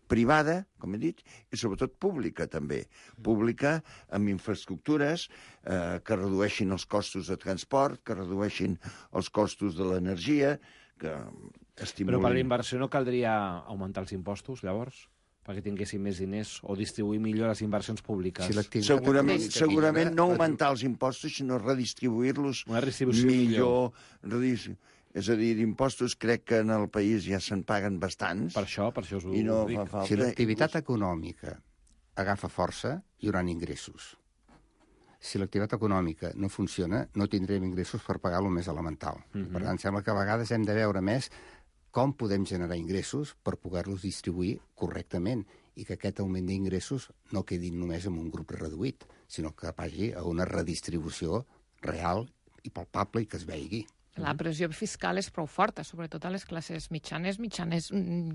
privada, com he dit, i sobretot pública, també. Pública amb infraestructures que redueixin els costos de transport, que redueixin els costos de l'energia, que estimulin... Però per la inversió no caldria augmentar els impostos, llavors? Perquè tinguessin més diners o distribuir millor les inversions públiques. Segurament no augmentar els impostos, sinó redistribuir-los millor. És a dir, d'impostos crec que en el país ja se'n paguen bastants. Per això us ho dic. Si l'activitat econòmica agafa força, hi haurà ingressos. Si l'activitat econòmica no funciona, no tindrem ingressos per pagar el més elemental. Per tant, sembla que a vegades hem de veure més com podem generar ingressos per poder-los distribuir correctament i que aquest augment d'ingressos no quedi només en un grup reduït, sinó que vagi a una redistribució real i palpable i que es veigui. La pressió fiscal és prou forta, sobretot a les classes mitjanes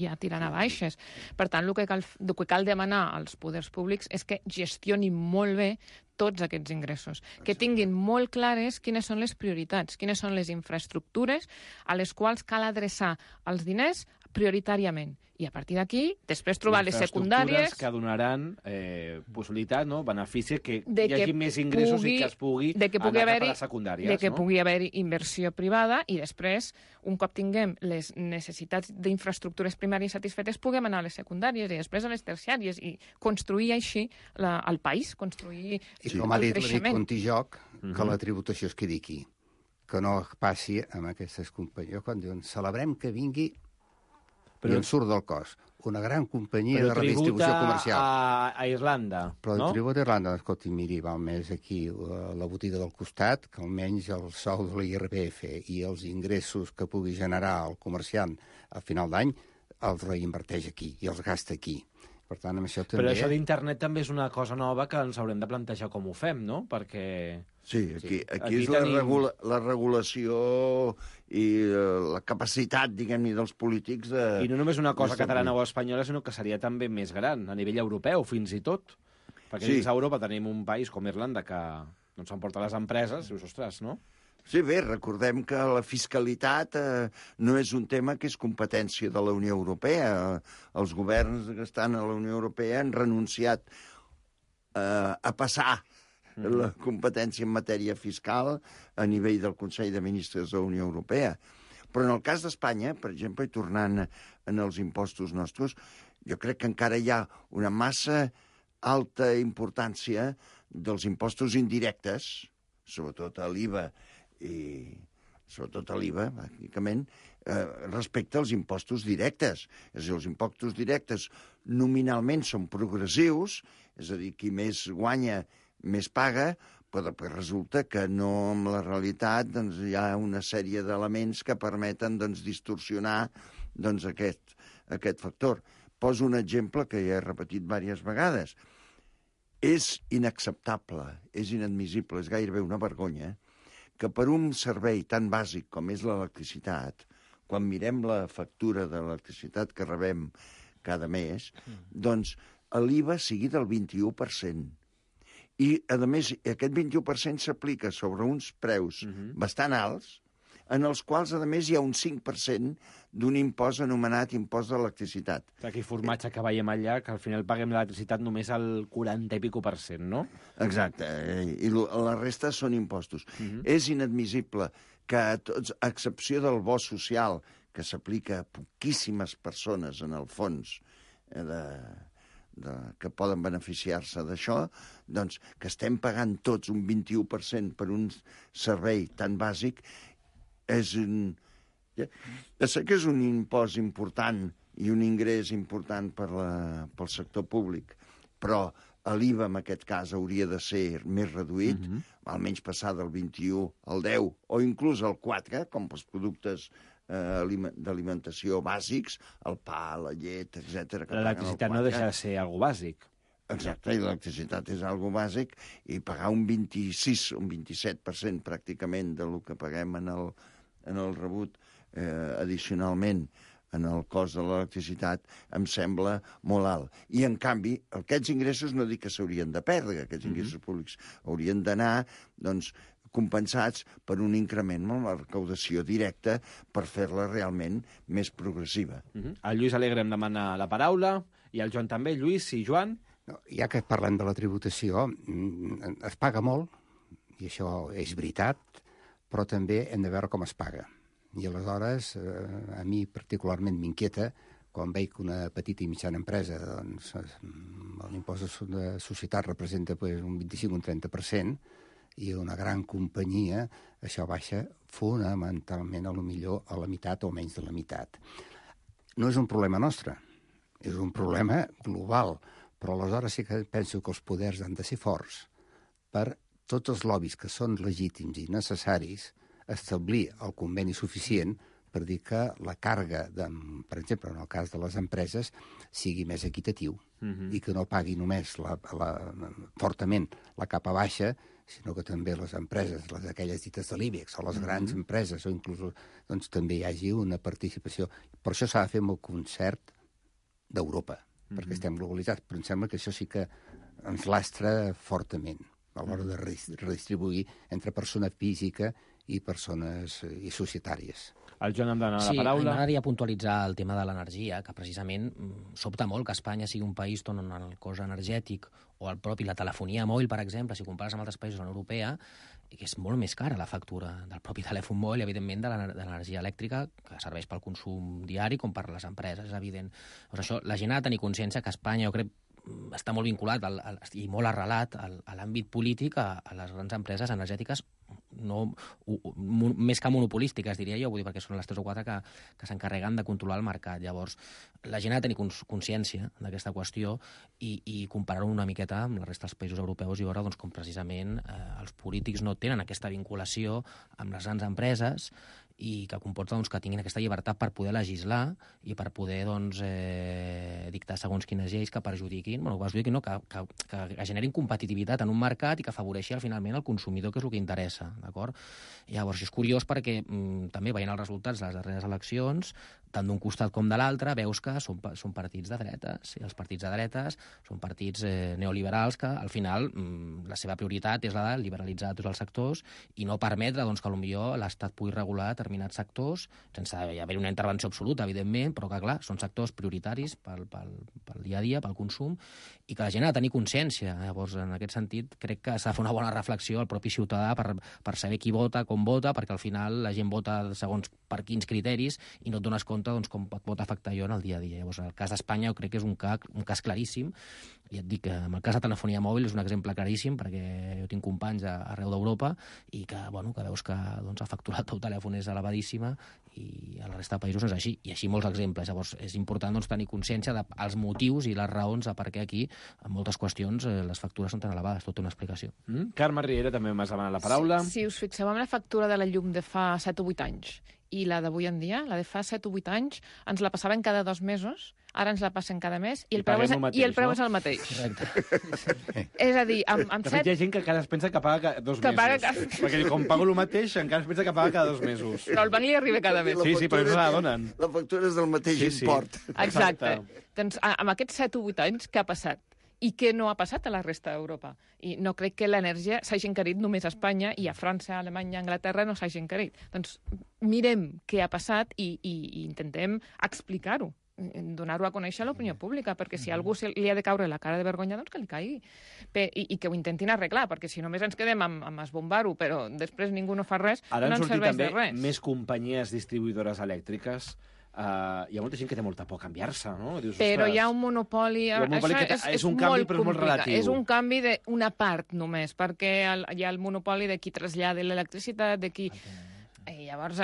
ja tirant a baixes. Per tant, el que cal demanar als poders públics és que gestionin molt bé tots aquests ingressos, que tinguin molt clares quines són les prioritats, quines són les infraestructures a les quals cal adreçar els diners prioritàriament. I a partir d'aquí, després trobar les secundàries... que donaran possibilitat, no? Benefici, que hi hagi més ingressos i que es pugui anar cap a les secundàries. De que pugui haver inversió privada i després, un cop tinguem les necessitats d'infraestructures primàries satisfetes, puguem anar a les secundàries i després a les terciàries i construir així el país, construir el creixement. I com ha dit l'Enric Contijoc, que la tributació es quedi aquí. que no passi amb aquestes companyies. Quan diuen, celebrem que vingui i en surt del cos. Una gran companyia de redistribució comercial. A Irlanda, però no? el tribut d'Irlanda, escolti, miri, val més aquí la botiga del costat, que almenys el sou de l'IRPF i els ingressos que pugui generar el comerciant al final d'any els reinverteix aquí i els gasta aquí. Per tant, amb això també... Però això d'internet també és una cosa nova que ens haurem de plantejar com ho fem, no? Perquè... Sí, aquí és la regulació i la capacitat, diguem-ne, dels polítics de... I no només una cosa catalana o espanyola, sinó que seria també més gran, a nivell europeu, fins i tot. Perquè dins Europa tenim un país com Irlanda que s'emporta les empreses, i dius, ostres, no? Sí, bé, recordem que la fiscalitat no és un tema que és competència de la Unió Europea. Els governs que estan a la Unió Europea han renunciat a passar la competència en matèria fiscal a nivell del Consell de Ministres de la Unió Europea. Però en el cas d'Espanya, per exemple, i tornant en els impostos nostres, jo crec que encara hi ha una massa alta importància dels impostos indirectes, sobretot a l'IVA, i sobretot a l'IVA, bàsicament, respecte als impostos directes. És a dir, els impostos directes nominalment són progressius, és a dir, qui més guanya, més paga, però després resulta que no, amb la realitat, hi ha una sèrie d'elements que permeten distorsionar aquest factor. Poso un exemple que ja he repetit diverses vegades. És inacceptable, és inadmissible, és gairebé una vergonya que per un servei tan bàsic com és l'electricitat, quan mirem la factura de l'electricitat que rebem cada mes, doncs l'IVA sigui del 21%. I, a més, aquest 21% s'aplica sobre uns preus bastant alts, en els quals, a més, hi ha un 5% d'un impost anomenat impost de l'electricitat. Aquell formatge que veiem allà, que al final paguem l'electricitat només al 40 i pico per cent, no? Exacte, i la resta són impostos. És inadmissible que, a excepció del bo social, que s'aplica a poquíssimes persones, en el fons, que poden beneficiar-se d'això, doncs que estem pagant tots un 21% per un servei tan bàsic. Ja sé que és un impost important i un ingrés important pel sector públic, però l'IVA en aquest cas hauria de ser més reduït, almenys passar del 21 al 10 o inclús al 4, com pels productes d'alimentació bàsics, el pa, la llet, etc. L'electricitat no deixa de ser algo bàsic. Exacte, i l'electricitat és algo bàsic, i pagar un 26, un 27% pràcticament del que paguem en el rebut addicionalment en el cost de l'electricitat em sembla molt alt. I, en canvi, aquests ingressos no dic que s'haurien de perdre, aquests ingressos públics haurien d'anar, doncs, compensats per un increment en la recaudació directa per fer-la realment més progressiva. El Lluís Alegre em demana la paraula, i el Joan també. Lluís i Joan? No, ja que parlem de la tributació, es paga molt, i això és veritat, però també hem de veure com es paga. I aleshores, a mi particularment m'inquieta quan veig que una petita i mitjana empresa, doncs, l'impost de societat representa un 25 o un 30%, i una gran companyia, això baixa fonamentalment a lo millor a la meitat o menys de la meitat. No és un problema nostre, és un problema global, però aleshores sí que penso que els poders han de ser forts per tots els lobbies que són legítims i necessaris establir el conveni suficient per dir que la càrrega, per exemple, en el cas de les empreses, sigui més equitatiu i que no pagui només fortament la capa baixa, sinó que també les empreses, aquelles dites de l'IBEX, o les grans empreses, o inclús doncs, també hi hagi una participació. Per això s'ha de fer amb el concert d'Europa, perquè estem globalitzats, però em sembla que això sí que ens lastra fortament a l'hora de redistribuir entre persona física i persones i societàries. El Joan em dona la paraula. Sí, m'agradaria puntualitzar el tema de l'energia, que precisament sobta molt que Espanya sigui un país on el cost energètic o la telefonia mòbil, per exemple, si compares amb altres països de la Unió Europea, que és molt més cara la factura del propi telèfon mòbil, evidentment, de l'energia elèctrica, que serveix pel consum diari com per les empreses, és evident. Doncs això, la gent ha de tenir consciència que Espanya, jo crec, està molt vinculat i molt arrelat a l'àmbit polític, a les grans empreses energètiques més que monopolístiques, diria jo, vull dir, perquè són les 3 o 4 que s'encarreguen de controlar el mercat. Llavors, la gent ha de tenir consciència d'aquesta qüestió i comparar-ho una miqueta amb la resta dels països europeus i veure doncs, com precisament els polítics no tenen aquesta vinculació amb les grans empreses i que comporta doncs, que tinguin aquesta llibertat per poder legislar i per poder doncs, dictar segons quines lleis que perjudiquin, que generin competitivitat en un mercat i que afavoreixi finalment el consumidor, que és el que interessa, d'acord? Llavors, és curiós perquè també veient els resultats de les darreres eleccions, tant d'un costat com de l'altre, veus que són partits de dretes, i els partits de dretes són partits neoliberals que, al final, la seva prioritat és la de liberalitzar tots els sectors i no permetre doncs, que potser l'Estat pugui regular determinats sectors, sense haver una intervenció absoluta, evidentment, però que, clar, són sectors prioritaris pel dia a dia, pel consum, i que la gent ha de tenir consciència. Llavors, en aquest sentit, crec que s'ha de fer una bona reflexió al propi ciutadà per saber qui vota, com vota, perquè al final la gent vota segons per quins criteris i no et dones compte doncs, com pot afectar allò en el dia a dia. Llavors, el cas d'Espanya jo crec que és un cas claríssim, i et dic que en el cas de telefonia mòbil és un exemple claríssim, perquè jo tinc companys arreu d'Europa i que, que veus que doncs, ha facturat el telèfon és elevadíssima i a la resta de països no és així, i així molts exemples. Llavors, és important doncs, tenir consciència dels motius i les raons de per què aquí, en moltes qüestions, les factures són tan elevades. Tot té una explicació. Carme Riera també m'has demanat la paraula. Si us fixeu en la factura de la llum de fa 7 o 8 anys i la d'avui en dia, la de fa 7 o 8 anys, ens la passaven cada 2 mesos, ara ens la passen cada mes i el preu és el mateix. Correcte. És a dir, amb 7... De fet, hi ha gent que encara es pensa que paga cada 2 mesos. Perquè com pago el mateix, encara es pensa que paga cada 2 mesos. Però el banc li arriba cada mes. Sí, però no se la donen. La factura és del mateix import. Exacte. Doncs amb aquests 7 o 8 anys, què ha passat? I què no ha passat a la resta d'Europa? I no crec que l'energia s'hagi encarit només a Espanya i a França, a Alemanya, a Anglaterra no s'hagi encarit. Doncs mirem què ha passat i intentem explicar-ho, donar-ho a conèixer a l'opinió pública, perquè si a algú li ha de caure la cara de vergonya, doncs que li caigui. I que ho intentin arreglar, perquè si només ens quedem amb esbombar-ho, però després ningú no fa res, no ens serveix de res. Ara han sortit també més companyies distribuïdores elèctriques. Hi ha molta gent que té molta por a canviar-se, no? Dius, però hi ha un monopoli... És un canvi, però és molt relatiu. És un canvi d'una part només, perquè hi ha el monopoli de qui trasllada l'electricitat, de qui... I llavors...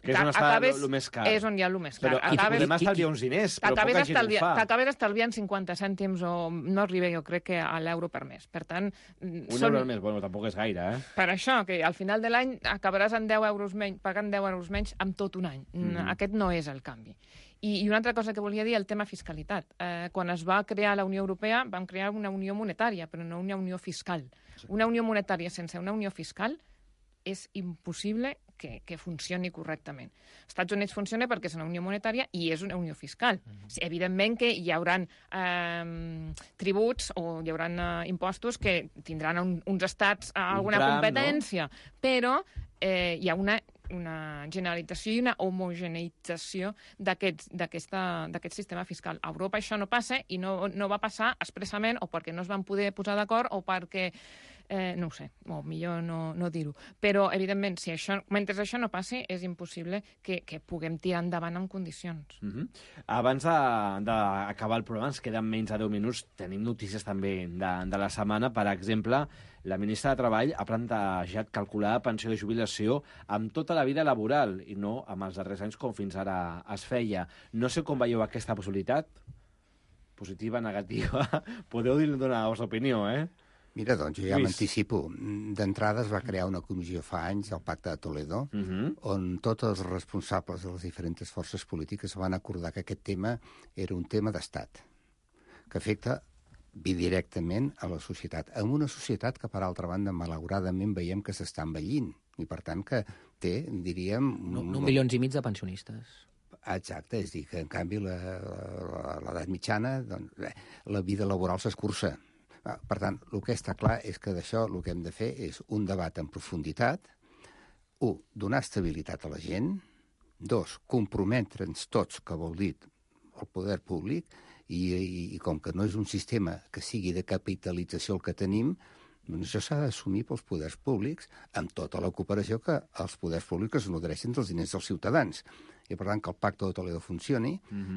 Que és on està el més car. És on hi ha el més car. Però podem estalviar uns diners, però poca gent ho fa. T'acabes estalviant 50 cèntims o no arriba, jo crec, que a l'euro per mes. Per tant... Euro al mes, bueno, tampoc és gaire, eh? Per això, que al final de l'any acabaràs en 10 euros menys, pagant 10 euros menys amb tot un any. Aquest no és el canvi. I una altra cosa que volia dir, el tema fiscalitat. Quan es va crear la Unió Europea, vam crear una unió monetària, però no una unió fiscal. Una unió monetària sense una unió fiscal és impossible que funcioni correctament. Els Estats Units funciona perquè és una unió monetària i és una unió fiscal. Evidentment que hi haurà tributs o hi haurà impostos que tindran uns estats alguna competència, però hi ha una generalització i una homogeneïtzació d'aquest sistema fiscal. A Europa això no passa i no va passar expressament o perquè no es van poder posar d'acord o perquè no ho sé, o millor no dir-ho. Però, evidentment, mentre això no passi, és impossible que puguem tirar endavant en condicions. Abans d'acabar el programa, ens queden menys de 10 minuts, tenim notícies també de la setmana. Per exemple, la ministra de Treball ha plantejat calcular la pensió de jubilació amb tota la vida laboral i no amb els darrers anys com fins ara es feia. No sé com veieu aquesta possibilitat. Positiva, negativa. Podeu donar la vostra opinió, eh? Mira, doncs, jo ja m'anticipo. D'entrada es va crear una comissió fa anys, el Pacte de Toledo, on tots els responsables de les diferents forces polítiques van acordar que aquest tema era un tema d'estat, que afecta bidirectament a la societat. En una societat que, per altra banda, malauradament veiem que s'està envellint, i per tant que té, diríem... 1,5 milions de pensionistes. Exacte, és a dir, que en canvi l'edat mitjana, doncs, la vida laboral s'escurça. Per tant, el que està clar és que d'això el que hem de fer és un debat en profunditat, 1, donar estabilitat a la gent, 2, comprometre'ns tots, que vol dir el poder públic, i com que no és un sistema que sigui de capitalització el que tenim, doncs això s'ha d'assumir pels poders públics amb tota la cooperació que els poders públics es nodreixen dels diners dels ciutadans. I per tant que el Pacte de Toledo funcioni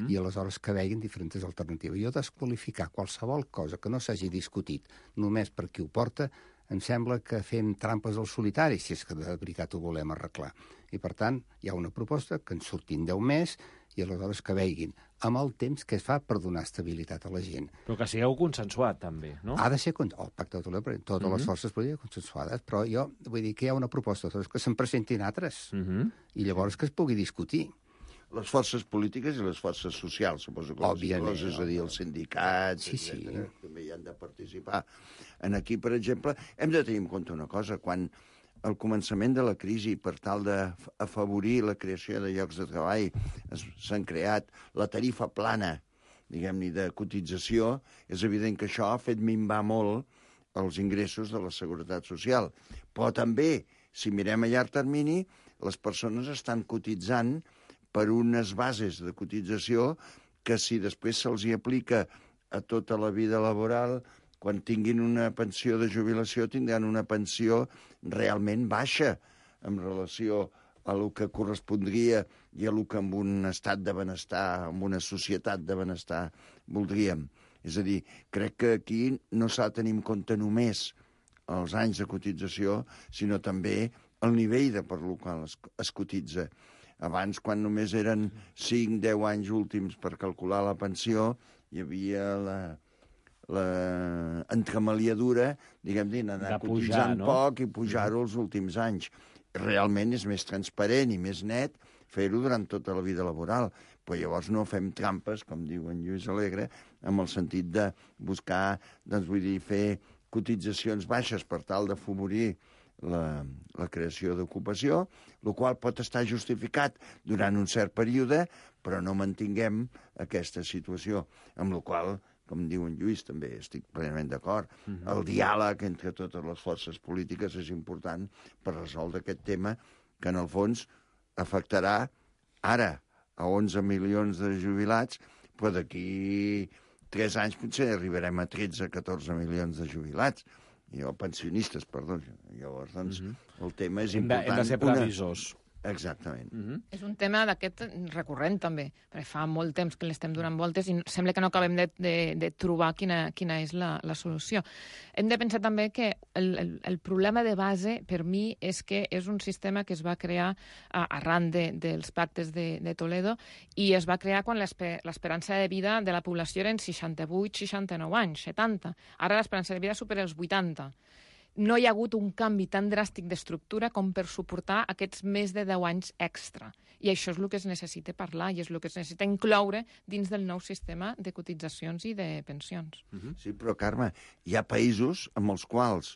i aleshores que veguin diferents alternatives. Jo desqualificar qualsevol cosa que no s'hagi discutit només per qui ho porta em sembla que fem trampes al solitari, si és que de veritat ho volem arreglar. I, per tant, hi ha una proposta que en surtin 10 més i aleshores que veiguin amb el temps que es fa per donar estabilitat a la gent. Però que sigueu consensuat, també, no? Ha de ser el pacte de totes les forces polítiques consensuades, però jo vull dir que hi ha una proposta, que se'n presentin altres, i llavors que es pugui discutir. Les forces polítiques i les forces socials, suposo que òbviament, és a dir, els sindicats, etcètera, també hi han de participar. Aquí, per exemple, hem de tenir en compte una cosa, quan al començament de la crisi, per tal d'afavorir la creació de llocs de treball, s'han creat la tarifa plana, diguem-ne, de cotització, és evident que això ha fet minvar molt els ingressos de la Seguretat Social. Però també, si mirem a llarg termini, les persones estan cotitzant per unes bases de cotització que si després se'ls hi aplica a tota la vida laboral, quan tinguin una pensió de jubilació tindran una pensió realment baixa en relació a el que correspondria i a el que en un estat de benestar, en una societat de benestar voldríem. És a dir, crec que aquí no s'ha de tenir en compte només els anys de cotització, sinó també el nivell per el qual es cotitza. Abans, quan només eren 5-10 anys últims per calcular la pensió, hi havia la entremaliadura, diguem-ne, anar cotitzant poc i pujar-ho els últims anys. Realment és més transparent i més net fer-ho durant tota la vida laboral. Però llavors no fem trampes, com diu en Lluís Alegre, amb el sentit de buscar, doncs vull dir, fer cotitzacions baixes per tal d'afavorir la creació d'ocupació, el qual pot estar justificat durant un cert període, però no mantinguem aquesta situació, amb la qual, com diu en Lluís, també estic plenament d'acord, el diàleg entre totes les forces polítiques és important per resoldre aquest tema que, en el fons, afectarà ara a 11 milions de jubilats, però d'aquí 3 anys potser arribarem a 13-14 milions de jubilats, o pensionistes, perdó. Llavors, doncs, el tema és important. Hem de ser previsors. Exactament. És un tema d'aquest recurrent, també, perquè fa molt temps que l'estem donant voltes i sembla que no acabem de trobar quina és la solució. Hem de pensar també que el problema de base, per mi, és que és un sistema que es va crear arran dels pactes de Toledo i es va crear quan l'esperança de vida de la població eren 68, 69 anys, 70. Ara l'esperança de vida supera els 80. No hi ha hagut un canvi tan dràstic d'estructura com per suportar aquests més de 10 anys extra. I això és el que es necessita parlar i és el que es necessita incloure dins del nou sistema de cotitzacions i de pensions. Sí, però, Carme, hi ha països amb els quals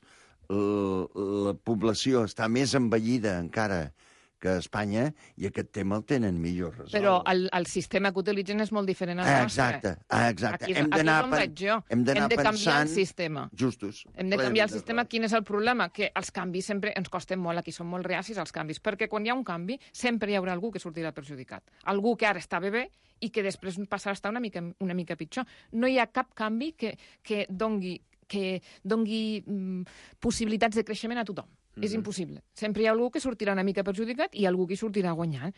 la població està més envellida encara que a Espanya, i aquest tema el tenen millor resolt. Però el sistema que utilitzen és molt diferent al nostre. Exacte. Aquí és on vaig jo. Hem de canviar el sistema. Justos. Hem de canviar el sistema. Quin és el problema? Que els canvis sempre ens costen molt. Aquí som molt reacis als canvis. Perquè quan hi ha un canvi, sempre hi haurà algú que sortirà perjudicat. Algú que ara està bé i que després passarà a estar una mica pitjor. No hi ha cap canvi que dongui possibilitats de creixement a tothom. És impossible. Sempre hi ha algú que sortirà una mica perjudicat i algú que sortirà guanyant.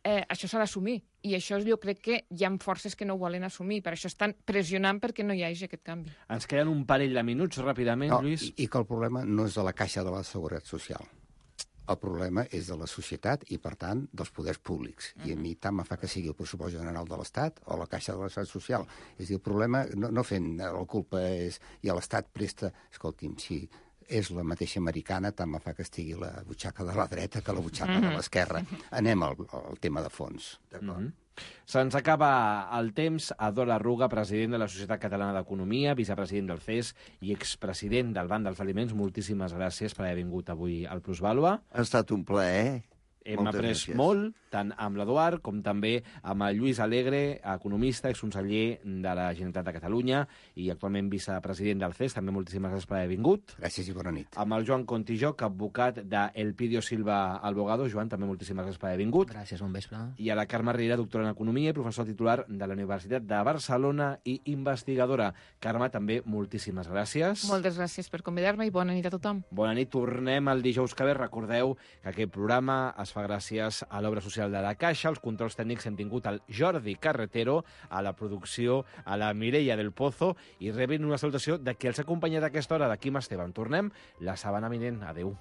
Això s'ha d'assumir. I això jo crec que hi ha forces que no ho volen assumir. Per això estan pressionant perquè no hi hagi aquest canvi. Ens queden un parell de minuts, ràpidament, Lluís. I que el problema no és de la Caixa de la Seguretat Social. El problema és de la societat i, per tant, dels poders públics. I a mi tant me fa que sigui el pressupost general de l'Estat o la Caixa de la Seguretat Social. És a dir, el problema, no fent la culpa és... I l'Estat presta... Escolti'm, si és la mateixa americana, tant me fa que estigui la butxaca de la dreta que la butxaca de l'esquerra. Anem al tema de fons. D'acord. Se'ns acaba el temps. Ador Arruga, president de la Societat Catalana d'Economia, vicepresident del CES i expresident del Banc dels Aliments, moltíssimes gràcies per haver vingut avui al Plusvàlua. Ha estat un plaer. Hem après molt, tant amb l'Eduard com també amb el Lluís Alegre, economista, exconseller de la Generalitat de Catalunya i actualment vicepresident del CES. També moltíssimes gràcies per haver vingut. Gràcies i bona nit. Amb el Joan Contijoc, advocat d'Elpidio Silva Albogado. Joan, també moltíssimes gràcies per haver vingut. Gràcies, bon vespre. I a la Carme Riera, doctora en Economia i professor titular de la Universitat de Barcelona i investigadora. Carme, també moltíssimes gràcies. Moltes gràcies per convidar-me i bona nit a tothom. Bona nit. Tornem el dijous que ve. Recordeu que aquest programa es fa gràcies a l'obra social de la Caixa. Els controls tècnics hem tingut el Jordi Carretero, a la producció a la Mireia del Pozo, i rebin una salutació de qui els ha acompanyat a aquesta hora, de Quim Esteban. Tornem la setmana vinent. Adéu.